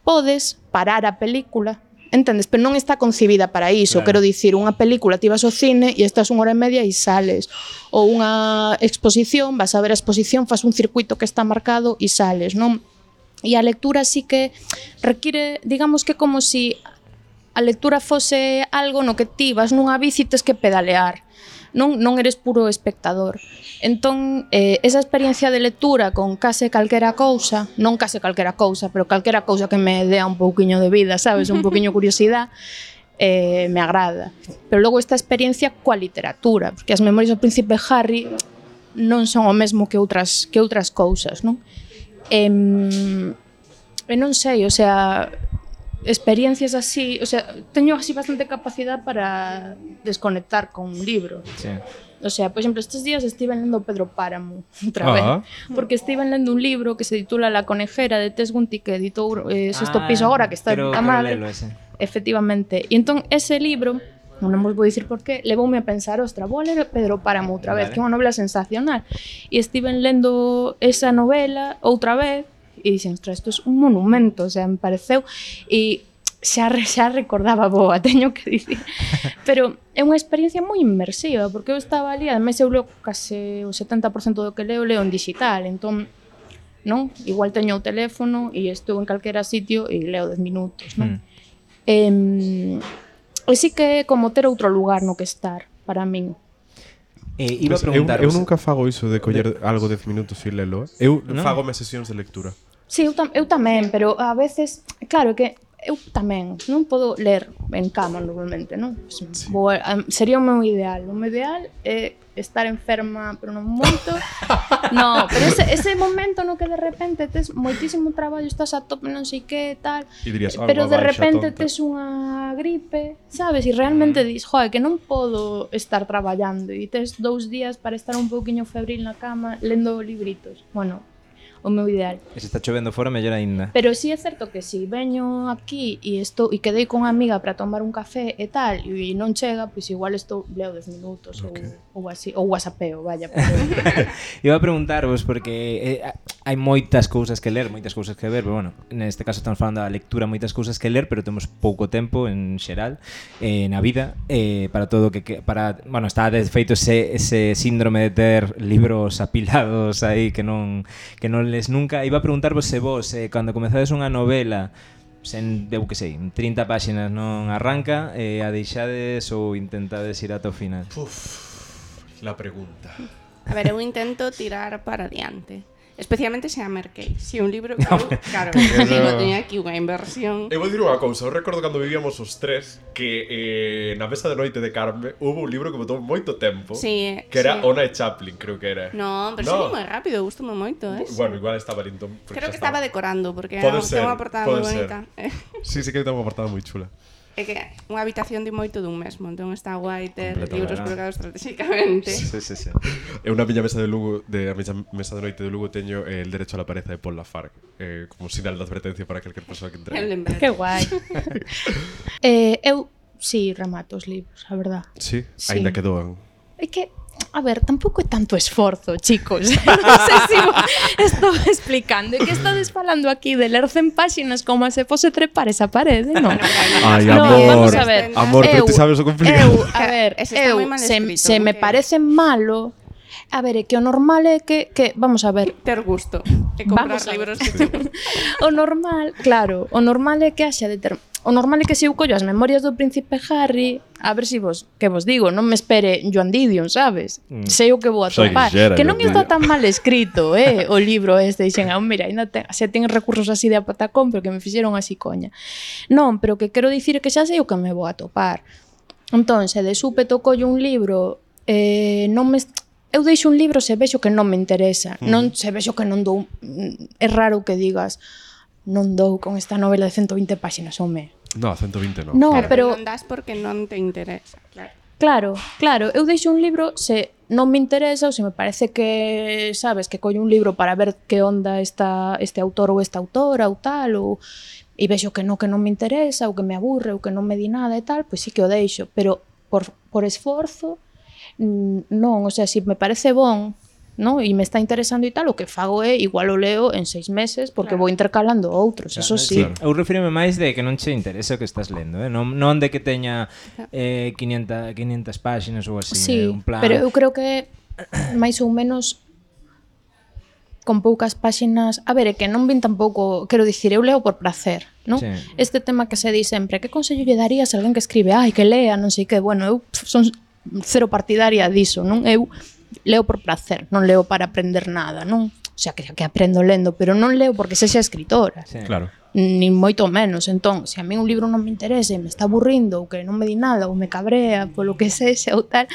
Podes parar a película, entendes? Pero non está concibida para iso. Claro. Quero dicir, unha película ti vas ao cine e estás unha hora e media e sales. Ou unha exposición, vas a ver a exposición, fas un circuito que está marcado e sales, non? E a lectura sí que require, digamos que como si a lectura fose algo no que ti vas nunha bici e tes que pedalear, non, non eres puro espectador. Entón, eh, esa experiencia de lectura con case calquera cousa, non case calquera cousa, pero calquera cousa que me dea un pouquiño de vida, sabes, un pouquiño curiosidade, eh, me agrada. Pero logo esta experiencia coa literatura, porque as Memorias do Príncipe Harry non son o mesmo que outras, que outras cousas, non? E, e non sei, o sea, experiencias así, o sea, teño así bastante capacidade para desconectar con un libro. Sí. O sea, por exemplo, estes días estive lendo Pedro Páramo outra vez, ah. porque estive lendo un libro que se titula La conejera de Tess Gunty, que editou eh, Sexto ah, Piso agora, que está a madre. Efectivamente. E entón, ese libro, non vos vou dicir por qué, levoume a pensar, ostra, vou a ler Pedro Páramo outra vez, vale. Que é unha novela sensacional. E estive lendo esa novela outra vez, e dixen, ostra, isto é un monumento, o sea, me pareceu, e xa, xa recordaba boa, teño que dicir, pero é unha experiencia moi inmersiva, porque eu estaba ali, ademais eu leo case o setenta por cento do que leo, leo en digital, entón, non? Igual teño o teléfono e estou en calquera sitio e leo dez minutos, non? Mm. Eh, e sí que é como ter outro lugar no que estar, para min. Eh, iba pues, a preguntar, eu, eu nunca fago iso de coller de... algo dez minutos e lelo, eh? Eu no? fago mes sesións de lectura. Sí, eu, tam eu tamén, pero a veces, claro que eu tamén non podo ler en cama normalmente, non? Sí. Vou, um, sería o meu ideal. O meu ideal é estar enferma, pero non moito. No, pero ese, ese momento no que de repente tes moitísimo traballo, estás a tope, non sei que, tal, dirías, pero de repente tonta. Tes unha gripe, sabes? E realmente mm. dis, joder, que non podo estar traballando e tes dous días para estar un pouquiño febril na cama lendo libritos. Bueno, o meu ideal. E se está chovendo fora, mellor aínda. Pero sí é certo que si veño aquí e estou e quedei con unha amiga para tomar un café e tal, e non chega, pois igual estou leo dez minutos okay. ou, ou así, ou whatsappeo, vaya. Pero... Iba a preguntarvos porque eh, hai moitas cousas que ler, moitas cousas que ver, pero bueno, neste caso estamos falando da lectura, moitas cousas que ler, pero temos pouco tempo en xeral eh, na vida eh, para todo que, que para, bueno, está de feito ese, ese síndrome de ter libros apilados aí que non que non les nunca. Iba a preguntarvos se vos, eh, cando comezades unha novela, sen, eu que sei, trinta páxinas non arranca, eh, a deixades ou intentades ir ata o final? Uf, la pregunta. A ver, eu intento tirar para adiante. Especialmente se a merquei. Se un libro que, eu, claro, digo, teño aquí unha inversión. Eu vou dir unha cousa, eu recordo cando vivíamos os tres que eh, na mesa de noite de Carme hubo un libro que botou moito tempo, sí, que era sí. Ona e Chaplin, creo que era. No, pero no. Sí, moi rápido, gustoume moito, eh. Bueno, igual estaba lindo. Creo que estaba decorando, porque ten unha portada moi bonita. Sí, sí que ten unha portada moi chula. É que unha habitación de moito dun mesmo, entón está guai ter libros colocados estratégicamente. Sí, sí, sí. Eu na miña mesa de Lugo, de a miña mesa de noite de Lugo teño El derecho a la pareza de Paul Lafargue, eh, como sinal de advertencia para calquer persoa que entre. Que guai. eh, eu si sí, remato os libros, a verdad. Sí, sí. Ainda que doan. É que a ver, tampouco é tanto esforzo, chicos. Non sei se estou explicando. É que estades falando aquí de ler cen páxinas como se fose trepar esa parede, non? Ai, amor, no, vamos a ver. Amor, eu, pero ti sabes o complicado. Eu, a ver, eu, se, se me parece malo, a ver, é que o normal é que, que vamos a ver, ter gusto e comprar libros que te... O normal, claro, o normal é que haxa de ter... O normal é que se eu collo as Memorias do Príncipe Harry, a ver se si vos, que vos digo, non me espere Joan Didion, sabes? Mm. Sei o que vou atopar. Que non está tan mal escrito, eh, o libro este, dixen, ah, mira, ainda ten, se ten recursos así de apatacón, pero que me fixeron así coña. Non, pero que quero dicir que xa sei o que me vou atopar. Entón, se de súpeto collo un libro, eh, non me... Eu deixo un libro se vexo que non me interesa, mm. non se vexo que non dou... É raro que digas... non dou con esta novela de ciento vinte páxinas, home. No, ciento vinte non. No, claro, pero non das porque non te interesa, claro. Claro, claro, eu deixo un libro se non me interesa ou se me parece que, sabes, que collo un libro para ver que onda está este autor ou esta autora ou tal, ou e vexo que non, que non me interesa, ou que me aburre, ou que non me di nada e tal, pois sí que o deixo, pero por, por esforzo, non, o sea, se me parece bon, no? E me está interesando e tal, o que fago é igual o leo en seis meses porque claro. vou intercalando outros, claro, eso sí. Claro. Eu refírome máis de que non che interesa o que estás lendo, eh? non, non de que teña eh, quinientas páxinas ou así, sí, eh? Un plan... pero eu creo que máis ou menos con poucas páxinas, a ver, é que non vin tampouco, quero dicir, eu leo por placer, non? Sí. Este tema que se di sempre, que consello lle darías a alguén que escribe, ai, que lea, non sei que, bueno, eu son cero partidaria diso, non? Eu leo por placer, non leo para aprender nada, non? O sea, que, que aprendo lendo, pero non leo porque sexa escritora. Sí. Claro. Nin moito menos. Entón, se a mí un libro non me interesa e me está aburrindo ou que non me di nada ou me cabrea polo que sexa ou tal,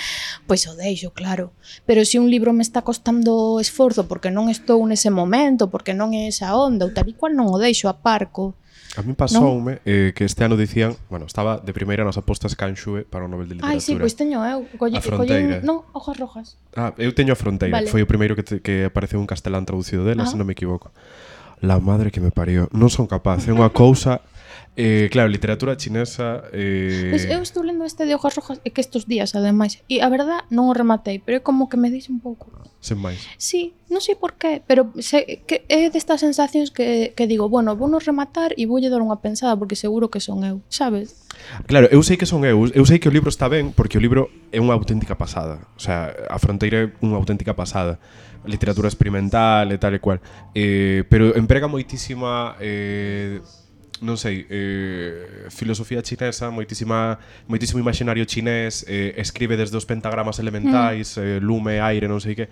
pois o deixo, claro. Pero se un libro me está costando esforzo porque non estou nese momento, porque non é esa onda ou tal e cual, non o deixo, aparco. A mí pasoume eh, que este ano dicían, bueno, estaba de primeira nas apostas Canxue para o Nobel de Literatura. Ai, sí, pois teño eu. Colle, a Fronteira. Colle, non, Hojas Rojas. Ah, eu teño a Fronteira, vale. Foi o primeiro que, te, que apareceu en castelán traducido dela, se non me equivoco. La madre que me parió. Non son capaz, é unha cousa... Eh, claro, literatura chinesa... Eh... Pues eu estou lendo este de Hojas Rojas e que estes días, ademais. E a verdad, non o rematei, pero é como que me dixe un pouco. Sen máis. Sí, non sei por qué, pero se, que é destas sensacións que, que digo, bueno, vou non rematar e voulle dar unha pensada porque seguro que son eu, sabes? Claro, eu sei que son eu, eu sei que o libro está ben porque o libro é unha auténtica pasada. O sea, a Fronteira é unha auténtica pasada. Literatura experimental e tal e cual. Eh, pero emprega moitísima... Eh, non sei, eh, filosofía chinesa, moitísima, moitísimo imaginario chinés, eh, escribe desde os pentagramas elementais, mm. eh, lume, aire, non sei que,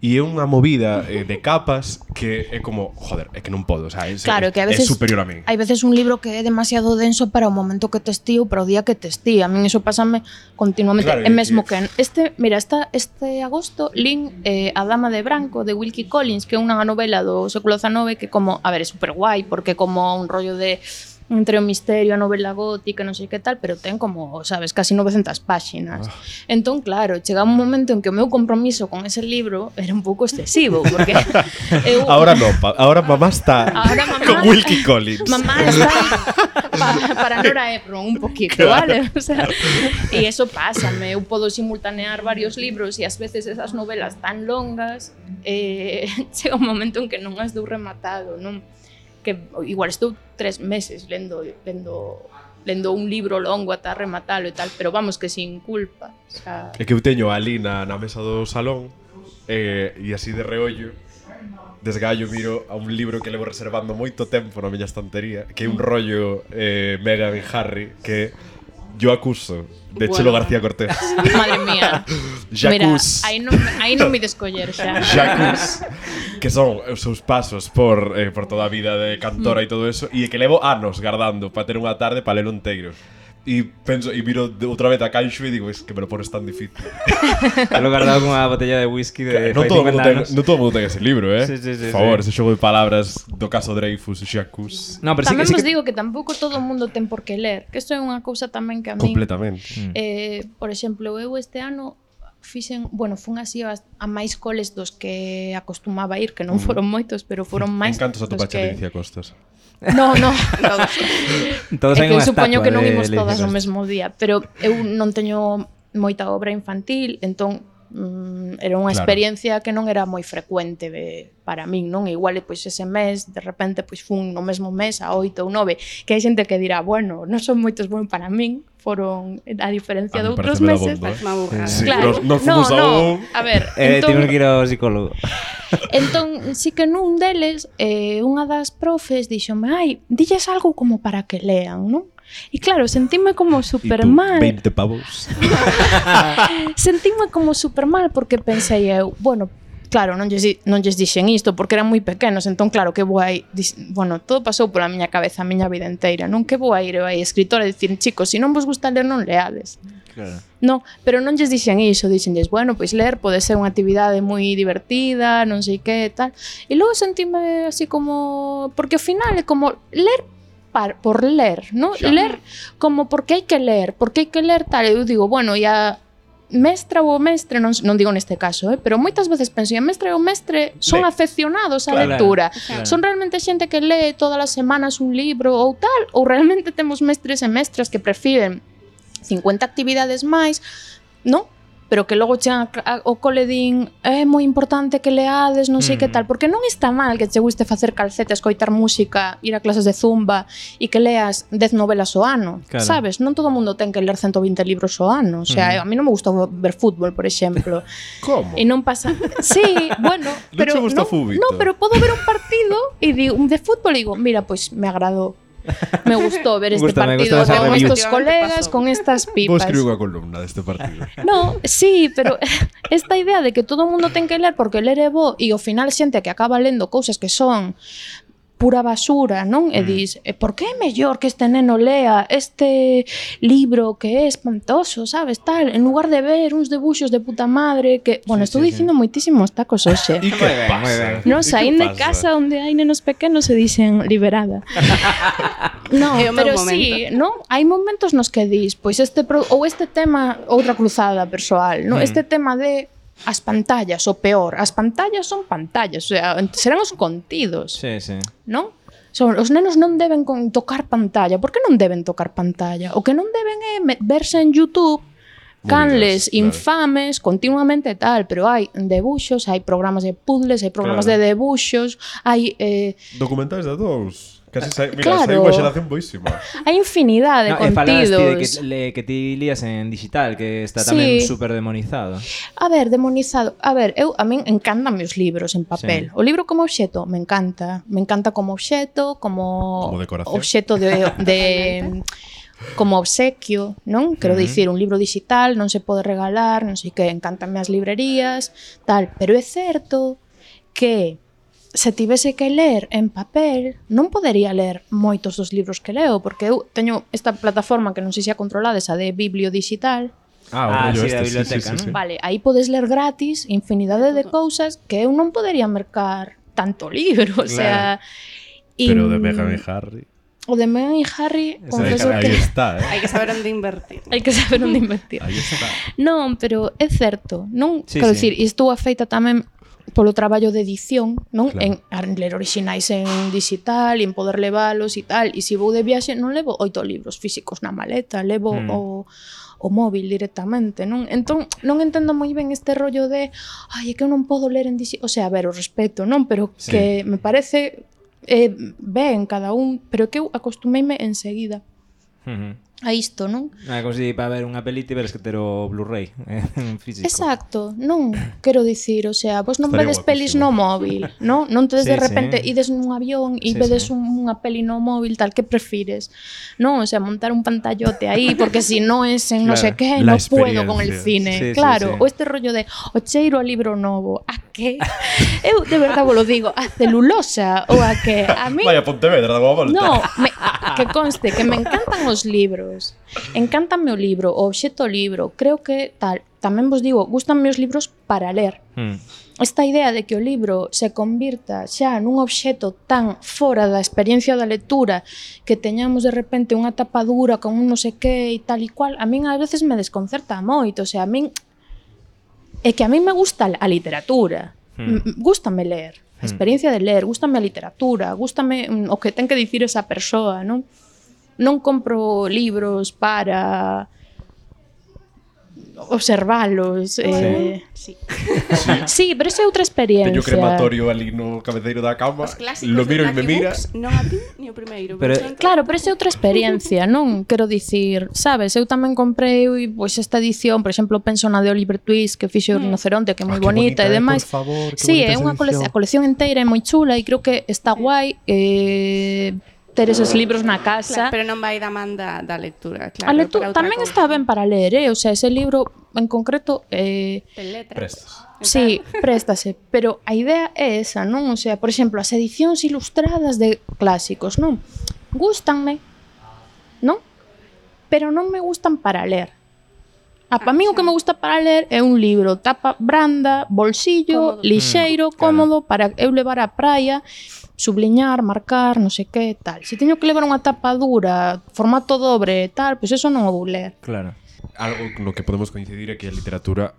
e é unha movida eh, de capas que é como, joder, é que non podo, o sea, é, claro, é, que a veces, é superior a min. Hai veces un libro que é demasiado denso para o momento que te estío, para o día que te estío. A min iso pásame continuamente. Claro, é mesmo que este, mira, esta, este agosto lin eh, A Dama de Branco de Wilkie Collins, que é unha novela do século dezenove que como, a ver, é super guai porque como un rollo de entre o misterio, a novela gótica, non sei que tal, pero ten como, sabes, casi novecentas páxinas. Oh. Entón, claro, chega un momento en que o meu compromiso con ese libro era un pouco excesivo, porque eu... Ahora no, pa, ahora mamá está ahora mamá, con Wilkie Collins. Mamá está pa, para Nora Ephron un poquito, claro. Vale? O sea, e eso pásame, eu podo simultanear varios libros e ás veces esas novelas tan longas eh, chega un momento en que non as dou rematado, non? Que igual estou tres meses lendo lendo lendo un libro longo ata rematalo e tal, pero vamos que sin culpa, o sea... É que eu teño ali na, na mesa do salón eh, e así de reollo desgallo miro a un libro que levo reservando moito tempo na miña estantería, que é un rollo eh, Meghan e Harry, que Yo acuso, de bueno. Chelo García Cortés. Madre mía. Jacuz. Mira, aí non, aí non me descoller xa. Jacuz, que son os seus pasos por, eh, por toda a vida de cantora mm. e todo eso, e que levo anos guardando para ter unha tarde para ler un teiro. E penso, e miro outra vez a Canxo e digo, es que me lo pones tan difícil. Lo guardado con unha botella de whisky de non todo, ten, non todo o mundo ten ese libro, eh? Sí, sí, sí, por favor, sí. ese xogo de palabras do caso Dreyfus, Jacuz. No, pero tamén sí, vos sí que... digo que tampouco todo o mundo ten por que ler, que isto é unha cousa tamén que a mí... Completamente. Eh, por exemplo, eu este ano fixen, bueno, fun así a, a máis coles dos que acostumaba a ir, que non foron moitos, pero foron máis. Encantos a tu pacha que... Alicia Costas. No, no, todos. Todos é que eu supoño que non imos todas o mesmo día, pero eu non teño moita obra infantil, entón mm, era unha claro. experiencia que non era moi frecuente de, para min, non? Igual pois ese mes, de repente pois fun no mesmo mes a oito ou nove, que hai xente que dirá, bueno, non son moitos bons para min, foron a diferencia a de outros meses, bomba, eh? Sí, claro. Nos no, no, no, a ver, eh, entón, temos que ir ao psicólogo. Entón, sí que nun deles, eh, unha das profes dixome, ai, dilles algo como para que lean, non? E claro, sentíme como super mal. veinte pavos. Sentíme como super mal porque pensei eu, bueno, claro, non lles, non lles dixen isto porque eran moi pequenos, entón claro que vou aí, bueno, todo pasou pola miña cabeza a miña vida inteira, non que vou a ir eu aí escritora e dicir, chicos, se non vos gusta ler non leades. Claro. No, pero non lles dixen iso, dixenlles, bueno, pois ler pode ser unha actividade moi divertida, non sei que, tal. E logo sentime así como, porque ao final é como ler par, por ler, non? Ler como porque hai que ler, porque hai que ler tal, eu digo, bueno, e a mestra ou o mestre, non, non digo neste caso, eh, pero moitas veces penso, a mestra e o mestre son Le. afeccionados á Claro, lectura. claro. Son realmente xente que lee todas as semanas un libro ou tal, ou realmente temos mestres e mestras que prefiren cincuenta actividades máis, non? Pero que logo chegan ao cole din é moi importante que leades, non sei mm. que tal, porque non está mal que che guste facer calceta, escoitar música, ir a clases de zumba e que leas dez novelas ao ano, claro. sabes? Non todo o mundo ten que ler ciento vinte libros ao ano, o sea, mm. a mí non me gusta ver fútbol, por exemplo. Como? E non pasa... Sí, bueno, Non pero che gusta non, fútbol? non, pero podo ver un partido e digo, de fútbol e digo, mira, pois pues, me agradou. Me gustó ver este Gusta, me partido gusta esa con review. estos colegas, con estas Vou pipas. escribir unha columna deste partido. No, sí, pero esta idea de que todo o mundo ten que ler porque ler é bo e ao final xente que acaba lendo cousas que son pura basura, non? E dis, por que é mellor que este neno lea este libro que é espantoso, sabes, tal, en lugar de ver uns debuxos de puta madre que, bueno, Sí, estou sí, dicindo sí. moitísimos tacos hoxe. E Moi que ben, moi ben. pasa? Non, E que saín de pasa? casa onde hai nenos pequenos se dicen liberada. No, É o meu pero momento. sí, non? Hai momentos nos que dis, pois este pro, ou este tema, outra cruzada persoal, non? Mm. Este tema de as pantallas, o peor, as pantallas son pantallas, o sea, serán os contidos, Sí, sí. non? Son, os nenos non deben con tocar pantalla. Por que non deben tocar pantalla? O que non deben é me- verse en YouTube canles Movidas, claro. infames continuamente tal, pero hai debuxos, hai programas de puzzles, hai programas Claro. de debuxos, hai eh, Documentais de dous. Casi sai, mira, Claro. sai unha xeración boísima. hai infinidade de No, e falaste de contidos. que, le, que ti lías en digital, que está Sí. tamén super demonizado. A ver, demonizado. A ver, eu a min encantan os libros en papel. Sí. O libro como obxeto me encanta. Me encanta como obxeto, como, Como decoración. obxeto de, de como obsequio, non? Quero Ujú. dicir, un libro digital non se pode regalar, non sei que, encántanme as librerías, tal, pero é certo que se tivese que ler en papel, non podería ler moitos dos libros que leo, porque eu teño esta plataforma que non sei se a controlades, a de Biblio Digital. Ah, o rollo sí, este, da sí, biblioteca, sí, sí, sí. non? Vale, aí podes ler gratis infinidade de cousas que eu non podería mercar tanto libro, o sea... y- Pero de Meghan e Harry. O de Meghan e Harry, Esa confeso Aí que... está, eh? Hai que saber onde invertir. Hai que saber onde invertir. Aí está. Non, pero é certo, non? Sí, Quero sí. dicir, e estou afeita tamén polo traballo de edición, non? Claro. En, en ler orixinais en digital, e en poder levalos e tal. E se vou de viaxe, non levo oito libros físicos na maleta, levo Mm. o, o móvil directamente, non? Entón, non entendo moi ben este rollo de ai, é que eu non podo ler en digital. O sea, a ver, o respeto, non? Pero Sí. que me parece eh, ben cada un, pero que eu acostumeime enseguida Uh -huh. a isto, non? Ah, como se para ver unha peli teres que ter o Blu-ray eh, en físico. Exacto, non, quero dicir, o sea, vos non Estaría vedes pelis no móvil, non? Non tedes Sí, de repente sí. ides nun avión e Sí, vedes sí. un, unha peli no móvil, tal, que prefires? Non, o sea, montar un pantallote aí, porque si no es en no sé Claro, qué, la no puedo con el experiencia. cine. Sí, sí, claro, sí. o este rollo de o cheiro a libro novo, a que? Eu de verdade vos lo digo, a celulosa ou a que? A mí Vaya Pontevedra, dá unha volta. No, me, que conste que me encantan os libros. Encántame o libro, o obxeto libro. Creo que tal, tamén vos digo, gustanme os libros para ler. Mm. Esta idea de que o libro se convirta xa nun obxeto tan fora da experiencia da lectura que teñamos de repente unha tapadura con un non sei que e tal e cual, a min ás veces me desconcerta moito, o sea, a min é que a min me gusta a literatura. Hmm. Mm. Gústame ler, a experiencia de ler, gústame a literatura, gústame mm, o que ten que dicir esa persoa, non? Non compro libros para observalos. Eh... Sí. Sí, pero esa é outra experiencia. Teño crematorio ali no cabeceiro da cama. Os clásicos Lo miro de e me Lucky mira. Books, non a ti ni o primeiro. Pero- por tanto, Claro, pero esa é outra experiencia, non? Quero dicir, sabes, eu tamén comprei pois esta edición, por exemplo, penso na de Oliver Twist que fixe o Rinoceronte, que é moi Ah, que bonita, bonita, e eh, demais. por favor, que Sí, bonita é esa unha cole edición. a colección inteira é moi chula e creo que está guai eh, ter eses libros na casa. Claro, pero non vai da man da, da lectura, claro. A lectura para outra tamén cousa. está ben para ler, eh? O sea, ese libro en concreto eh, En letras. Prestas. sí, préstase, pero a idea é esa, non? O sea, por exemplo, as edicións ilustradas de clásicos, non? Gústanme, non? Pero non me gustan para ler. A pa mí o que me gusta para ler é un libro tapa branda, bolsillo, Cómodo. lixeiro, Mm, claro. cómodo, para eu levar á praia, subliñar, marcar, non sei que, tal. Se teño que levar unha tapa dura, formato dobre, tal, pois eso non o vou ler. Claro. algo no que podemos coincidir é que a literatura,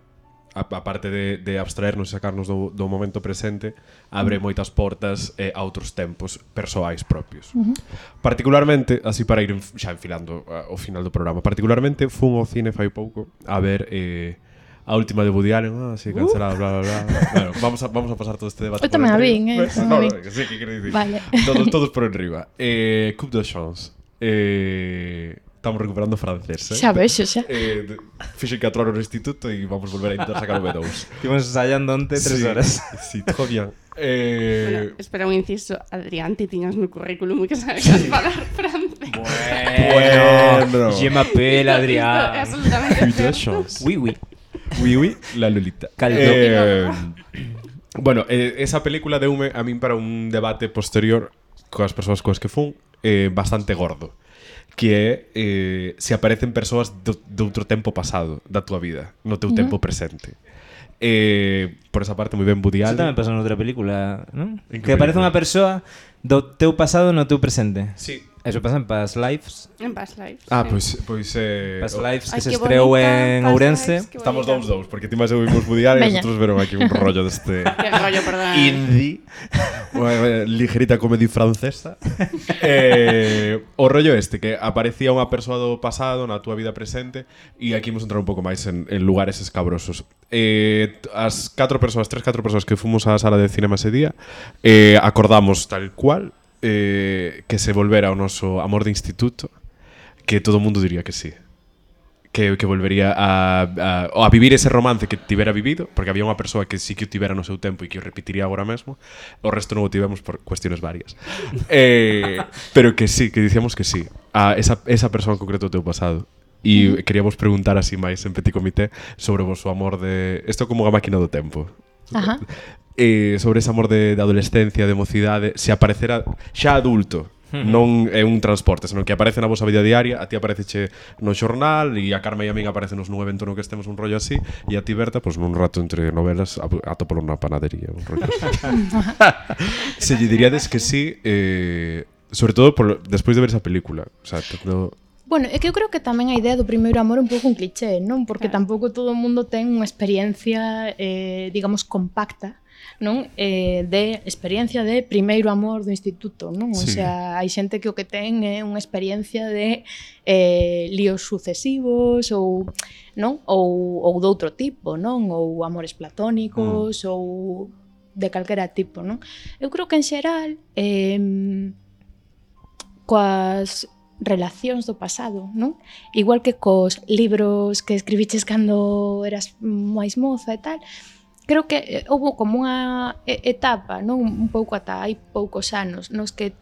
aparte de, de abstraernos e sacarnos do, do momento presente, abre moitas portas eh, a outros tempos persoais propios. Uh-huh. Particularmente, así para ir xa enfilando uh, o final do programa, particularmente fun ao cine fai pouco a ver eh, a última de Woody Allen, ah, sí, cancelada, uh. bla, bla, bla. Bueno, vamos a, vamos a pasar todo este debate. Eu tamén a vin, eh? No, no, que sí, que quero dicir. Vale. Todos, todos por enriba. Eh, Coupe de Chance. Eh... Estamos recuperando francés, eh? Xa vexo, xa. Eh, Fixen catro horas no instituto e vamos volver a intentar sacar o B dous. Estivemos ensayando onte tres Sí, horas. sí, todo bien. Eh... Bueno, espera un inciso. Adrián, ti tiñas no currículum que sabes sí. falar francés. Bueno, je m'appelle Adrián. Isto é absolutamente Coupe de certo. Chance. Oui, oui. Oui, oui, la Lolita. Caldo. Eh, bueno, eh, esa película deume a min para un debate posterior coas persoas coas que fun eh, bastante gordo, que é eh, se aparecen persoas do, de outro tempo pasado da tua vida, no teu uh-huh. tempo presente. Eh, por esa parte, moi ben Woody Eso Allen. tamén pasa noutra película, non? En Que que aparece película? unha persoa do teu pasado no teu presente. Sí. Eso pasa en Past Lives. En Past Lives. Ah, sí. pois pois eh, Past o- Lives que Ai, se que estreou bonita, en Past Ourense. Lives, que Estamos bonita. dous dous, porque ti máis eu vimos Woody Allen e Veña. nosotros veron aquí un rollo deste Que rollo, perdón. indie, unha ligerita comedy francesa. eh, o rollo este, que aparecía unha persoa do pasado na túa vida presente, e aquí imos entrar un pouco máis en, en lugares escabrosos. Eh, as catro persoas, tres, catro persoas que fomos á sala de cinema ese día, eh, acordamos tal cual eh, que se volvera o noso amor de instituto, que todo o mundo diría que sí. Que, que volvería a, a, a vivir ese romance que tivera vivido, porque había unha persoa que sí que o tivera no seu tempo e que o repetiría agora mesmo. O resto non o tivemos por cuestiones varias. eh, pero que sí, que dicíamos que sí a esa, esa persoa en concreto do teu pasado. E uh-huh. queríamos preguntar así máis en petit comité sobre o vosso amor de... Isto como unha máquina do tempo. Ajá. Eh, sobre ese amor de, de adolescencia, de mocidade, se aparecera xa adulto, non é un transporte, senón que aparece na vosa vida diaria, a ti apareceche no xornal e a Carme e a min aparecenos nun evento no que estemos un rollo así, e a ti, Berta, pois nun rato entre novelas atópolo na panadería, un rollo así. Se lle diríades que sí, eh, sobre todo por, despois de ver esa película, o sea, no... Bueno, é que eu creo que tamén a idea do primeiro amor é un pouco un cliché, non? Porque Claro. tampouco todo o mundo ten unha experiencia, eh, digamos, compacta, non? Eh, de experiencia de primeiro amor do instituto, non? O Sí. sea, hai xente que o que ten é unha experiencia de eh, líos sucesivos ou, non? Ou, ou doutro tipo, non? Ou amores platónicos mm. ou de calquera tipo, non? Eu creo que en xeral eh, coas relacións do pasado, non? Igual que cos libros que escribiches cando eras máis moza e tal, creo que eh, houve como unha etapa, non, un pouco ata hai poucos anos, nos que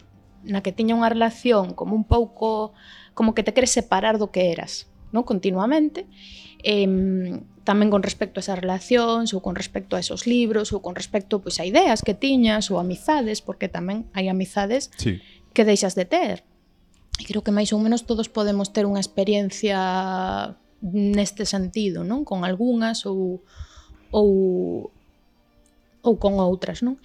na que tiña unha relación como un pouco como que te queres separar do que eras, non, continuamente. Eh, tamén con respecto a esas relacións ou con respecto a esos libros ou con respecto pois a ideas que tiñas ou amizades, porque tamén hai amizades Sí. que deixas de ter. E creo que máis ou menos todos podemos ter unha experiencia neste sentido, non? Con algunhas ou ou ou con outras, non?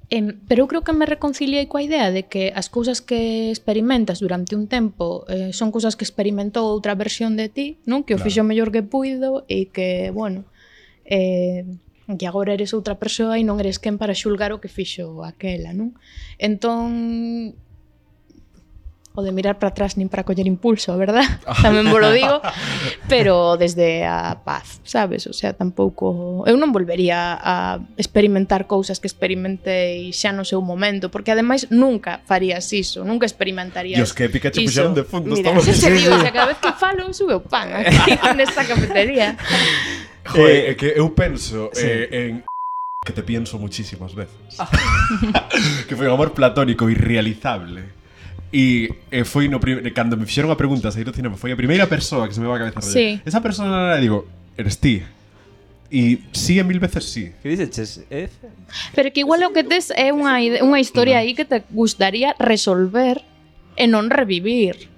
Eh, pero eu creo que me reconciliei coa idea de que as cousas que experimentas durante un tempo eh, son cousas que experimentou outra versión de ti, non? Que o Claro. fixo mellor que puido e que, bueno, eh, que agora eres outra persoa e non eres quen para xulgar o que fixo aquela, non? Entón, o de mirar para atrás nin para coller impulso, verdad? Tamén vos lo digo, pero desde a paz, sabes? O sea, tampouco... Eu non volvería a experimentar cousas que experimentei xa no seu momento, porque ademais nunca farías iso, nunca experimentarías Dios, que épica che iso. puxeron de fondo. Mira, Estamos... Xa se digo, o sea, cada vez que falo sube o pan aquí nesta cafetería. Joder, é que eu penso Sí. eh, en que te pienso muchísimas veces. Que foi un amor platónico irrealizable. E eh, foi no prim... cando me fixeron a pregunta sair do cinema, foi a primeira persoa que se me va a cabeza rollo. Sí. Esa persona, digo, eres ti. E sí, en mil veces sí. Que dices? F? Pero que igual o que tes é unha, ide- unha historia aí que te gustaría resolver e non revivir.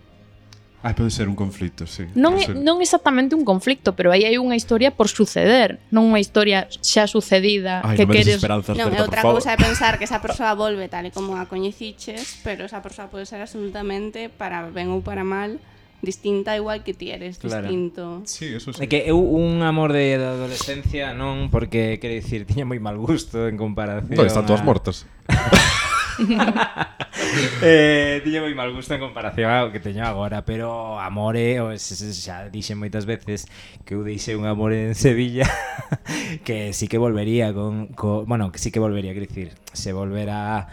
Ah, pode ser un conflito, sí. Non, Pode é, ser. non exactamente un conflicto, pero aí hai unha historia por suceder, non unha historia xa sucedida Ai, que non me des queres... esperanzas, Non, é Berta, outra por favor. cousa é pensar que esa persoa volve tal e como a coñeciches, pero esa persoa pode ser absolutamente, para ben ou para mal, distinta igual que ti eres Claro. distinto. Sí, eso sí. É que eu un amor de da adolescencia non, porque, quero dicir, tiña moi mal gusto en comparación No, están todas a- mortas. eh, tiña moi mal gusto en comparación ao que teño agora, pero amore, o se- se- xa dixen moitas veces que eu deixei un amor en Sevilla que sí que volvería con, con bueno, que sí que volvería, quero dicir, se volverá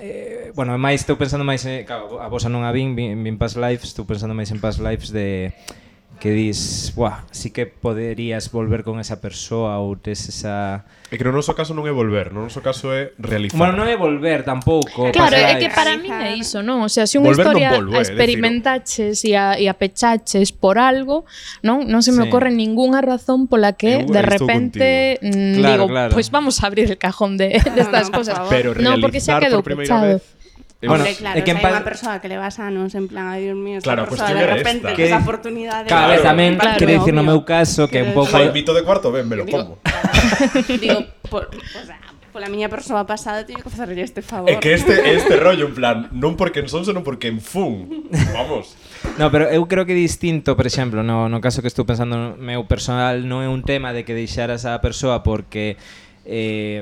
eh, bueno, máis estou pensando máis en, claro, a vosa non a vin, vin, vin Past Lives, estou pensando máis en Past Lives de que dis, buah, sí que poderías volver con esa persoa ou tes esa... É que no noso caso non é volver, no noso caso é realizar. Bueno, non é volver tampouco. Claro, Past é que Lives. para min é iso, non? O sea, se unha Volver non historia volvo, eh, a experimentaches e a, e a pechaches por algo, non? Non se me Sí. ocorre ningunha razón pola que Eu de aí estou repente mm, Claro, digo, claro. pues vamos a abrir el cajón de, de estas No, no, por cosas. favor. Pero No, porque xa realizar quedou por primeira pechado. vez... Bueno, Hombre, claro, é que o en sea, hai pa- unha persoa que le vas anos en plan, ai, Dios mío, esta Claro, a persoa cuestión de era repente esta. que esa Que- oportunidade... Cada vez tamén, Claro, quero dicir, no obvio. meu caso, que un Quero pouco... Fai mito de cuarto, ben, me lo Digo, como. digo, por, o sea, pola miña persoa pasada teño que facerlle este favor. É que este este rollo, en plan, non porque en son, senón porque en fun. Vamos. No, pero eu creo que é distinto, por exemplo, no, no caso que estou pensando no meu personal, non é un tema de que deixaras a persoa porque eh,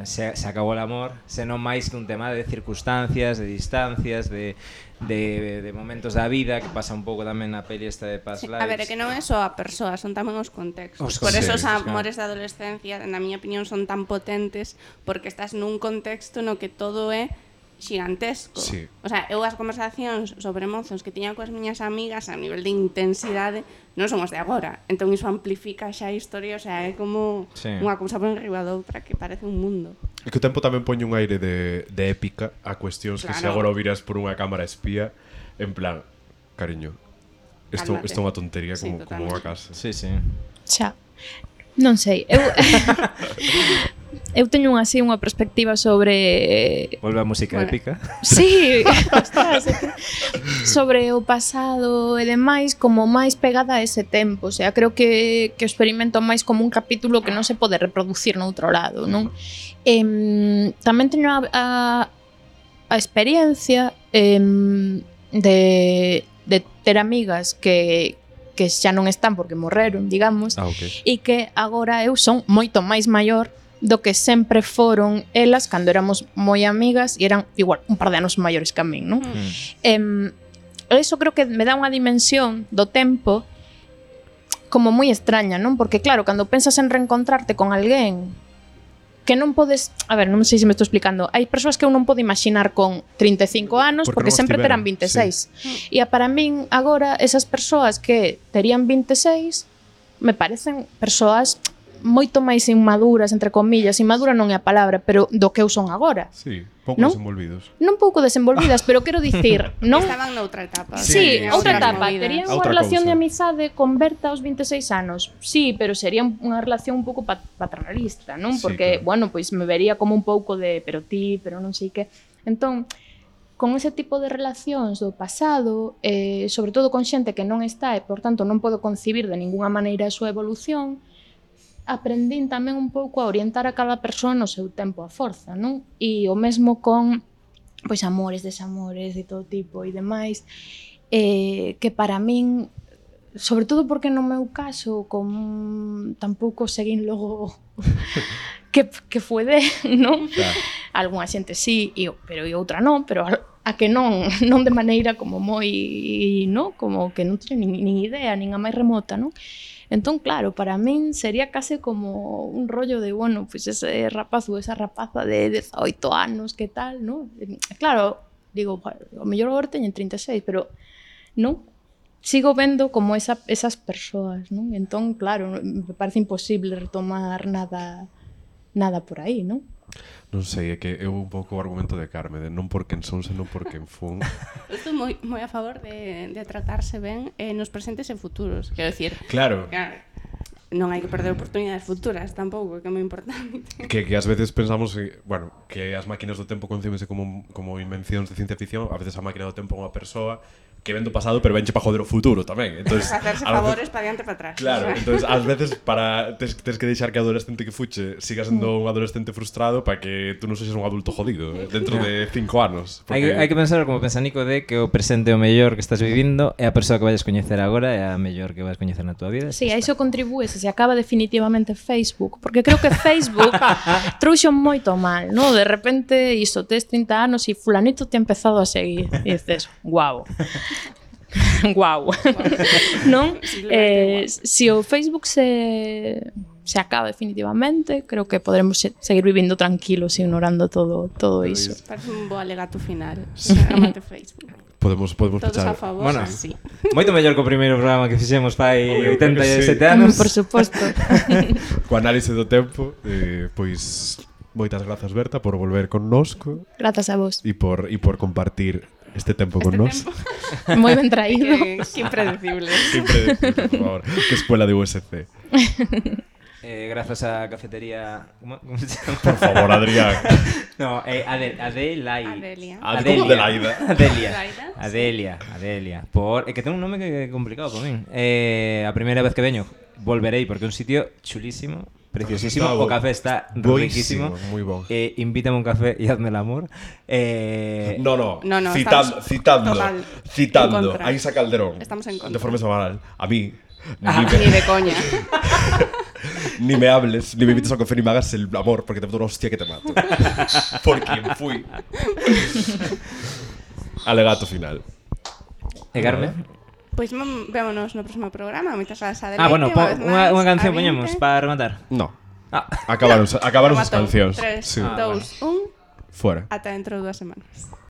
se, se acabou el amor, senón máis que un tema de circunstancias, de distancias, de, de, de momentos da vida, que pasa un pouco tamén na peli esta de Past Sí, Lives. a ver, é que non é só a persoa, son tamén os contextos. Os Por eso os contextos, amores da adolescencia, na miña opinión, son tan potentes porque estás nun contexto no que todo é xigantesco. Sí. O sea, eu as conversacións sobre mozos que tiña coas miñas amigas a nivel de intensidade non son os de agora. Entón iso amplifica xa a historia, o sea, é como Sí. unha cousa por enriba da outra que parece un mundo. É que o tempo tamén poñe un aire de, de épica a cuestións que se Claro. agora o viras por unha cámara espía, en plan, cariño, isto, Cálmate. isto é unha tontería Sí, como, como unha totalmente. casa. Sí, sí. Xa. Non sei, eu eu teño así unha perspectiva sobre Volve a música Bueno. épica. sí, ostras, é que sobre o pasado e demais como máis pegada a ese tempo, o sea, creo que que o experimento máis como un capítulo que non se pode reproducir noutro lado, non? Em, tamén teño a, a, a experiencia em, de, de ter amigas que que xa non están porque morreron, digamos, Ah, ok. e que agora eu son moito máis maior do que sempre foron elas cando éramos moi amigas e eran igual un par de anos maiores que a min, non? Mm. Em, eso creo que me dá unha dimensión do tempo como moi extraña, non? Porque claro, cando pensas en reencontrarte con alguén que non podes, a ver, non sei se me estou explicando. Hai persoas que eu non podo imaginar con trinta e cinco anos Porque porque, non sempre estiveron, terán vinte e seis. E a para min agora esas persoas que terían vinte e seis me parecen persoas moito máis inmaduras, entre comillas. Inmadura non é a palabra, pero do que eu son agora. Sí, pouco Non? desenvolvidos. Non pouco desenvolvidas, pero quero dicir, non. Estaban noutra etapa. Sí, Sí, outra sí. etapa. movidas. Terían unha Outra relación cousa. de amizade converta aos vinte e seis anos. Sí, pero sería unha relación un pouco pat paternalista, non? Sí, Porque, claro. bueno, pois me vería como un pouco de pero ti, pero non sei que. Entón, con ese tipo de relacións do pasado, eh, sobre todo con xente que non está e, por tanto, non podo concibir de ningunha maneira a súa evolución, aprendín tamén un pouco a orientar a cada persoa no seu tempo a forza, non? E o mesmo con pois amores, desamores de todo tipo e demais, eh, que para min, sobre todo porque no meu caso, con tampouco seguín logo que, que foi de, non? Claro. Algúnha xente sí, e, o- pero e outra non, pero a, a que non, non de maneira como moi, non? Como que non teño nin, nin idea, nin a máis remota, non? Entón, claro, para min sería case como un rollo de, bueno, pois pues ese rapaz ou esa rapaza de dezaoito anos, que tal, non? Claro, digo, o mellor agora teñen trinta e seis, pero non? Sigo vendo como esa, esas persoas, non? Entón, claro, me parece imposible retomar nada nada por aí, non? Non sei, é que é un pouco o argumento de Carme, de non porque en son, senón porque en fun. Eu estou moi, moi a favor de, de tratarse ben eh, nos presentes e futuros. Quero dicir, Claro, claro, non hai que perder oportunidades futuras tampouco, que é moi importante. que, que ás veces pensamos, eh, bueno, que as máquinas do tempo concíbense como, como invencións de ciencia ficción, a veces a máquina do tempo é unha persoa que ven do pasado, pero venche para joder o futuro tamén. Entonces, Facerse a veces- favores para diante e para atrás. Claro, entonces ás veces para tes, tes que deixar que o adolescente que fuche siga sendo un adolescente frustrado para que tú non sexas un adulto jodido eh, dentro de cinco anos. Hai que, hai que pensar como pensa Nico de que o presente é o mellor que estás vivindo e a persoa que vayas coñecer agora é a mellor que vas coñecer na tua vida. Sí, a iso contribúe se se acaba definitivamente Facebook, porque creo que Facebook trouxo moito mal, ¿no? De repente, iso, tes trinta anos e fulanito te ha empezado a seguir e dices, guau. Guau. Non? Eh, se o Facebook se se acaba definitivamente, creo que podremos se- seguir vivindo tranquilos e ignorando todo todo iso. Parece un bo alegato final. Amante Facebook. Podemos podemos Todos a pechar. favor, Bueno. sí. Moito mellor que o primeiro programa que fixemos fai Obvio, oitenta e sete sí. anos. Por suposto. Co análise do tempo, eh, pois moitas grazas Berta por volver connosco Grazas a vos. e por e por compartir este tempo con Este nós. tempo. Moi ben traído. Que, que impredecible. Siempre decir, por favor, que escuela de U S C. Eh, grazas á cafetería... Como, como se chama? Por favor, Adrián. No, eh, Ade, Adelai. Adelia. Ah, como Adelaida. Adelia. Adelaida, sí. Adelia, Adelia. Por, é que ten un nome que é complicado para min. Eh, a primeira vez que veño volverei porque é un sitio chulísimo, preciosísimo, Está o bo- café está boísimo, riquísimo. moi bon. Eh, invítame un café e hazme el amor. Eh, No, no, No, no, citando, estamos citando, total en citando contra. a Isa Calderón. Estamos en contra. De forma semanal. A mí, ni, Ah. Ni de coña. ni me hables, ni me invites a café, ni me hagas el amor, porque te meto una hostia que te mato. Por quien fui. Alegato final. E Carmen? Pois pues, vémonos no próximo programa. Moitas grazas a Adelaide. Ah, bueno, po, vez unha, máis, unha canción a vinte. poñemos para rematar. No. Ah. Acabaron, acabaron as Rematou. cancións. tres, Sí. Ah, dos, un. Fuera. Ata dentro de dúas semanas.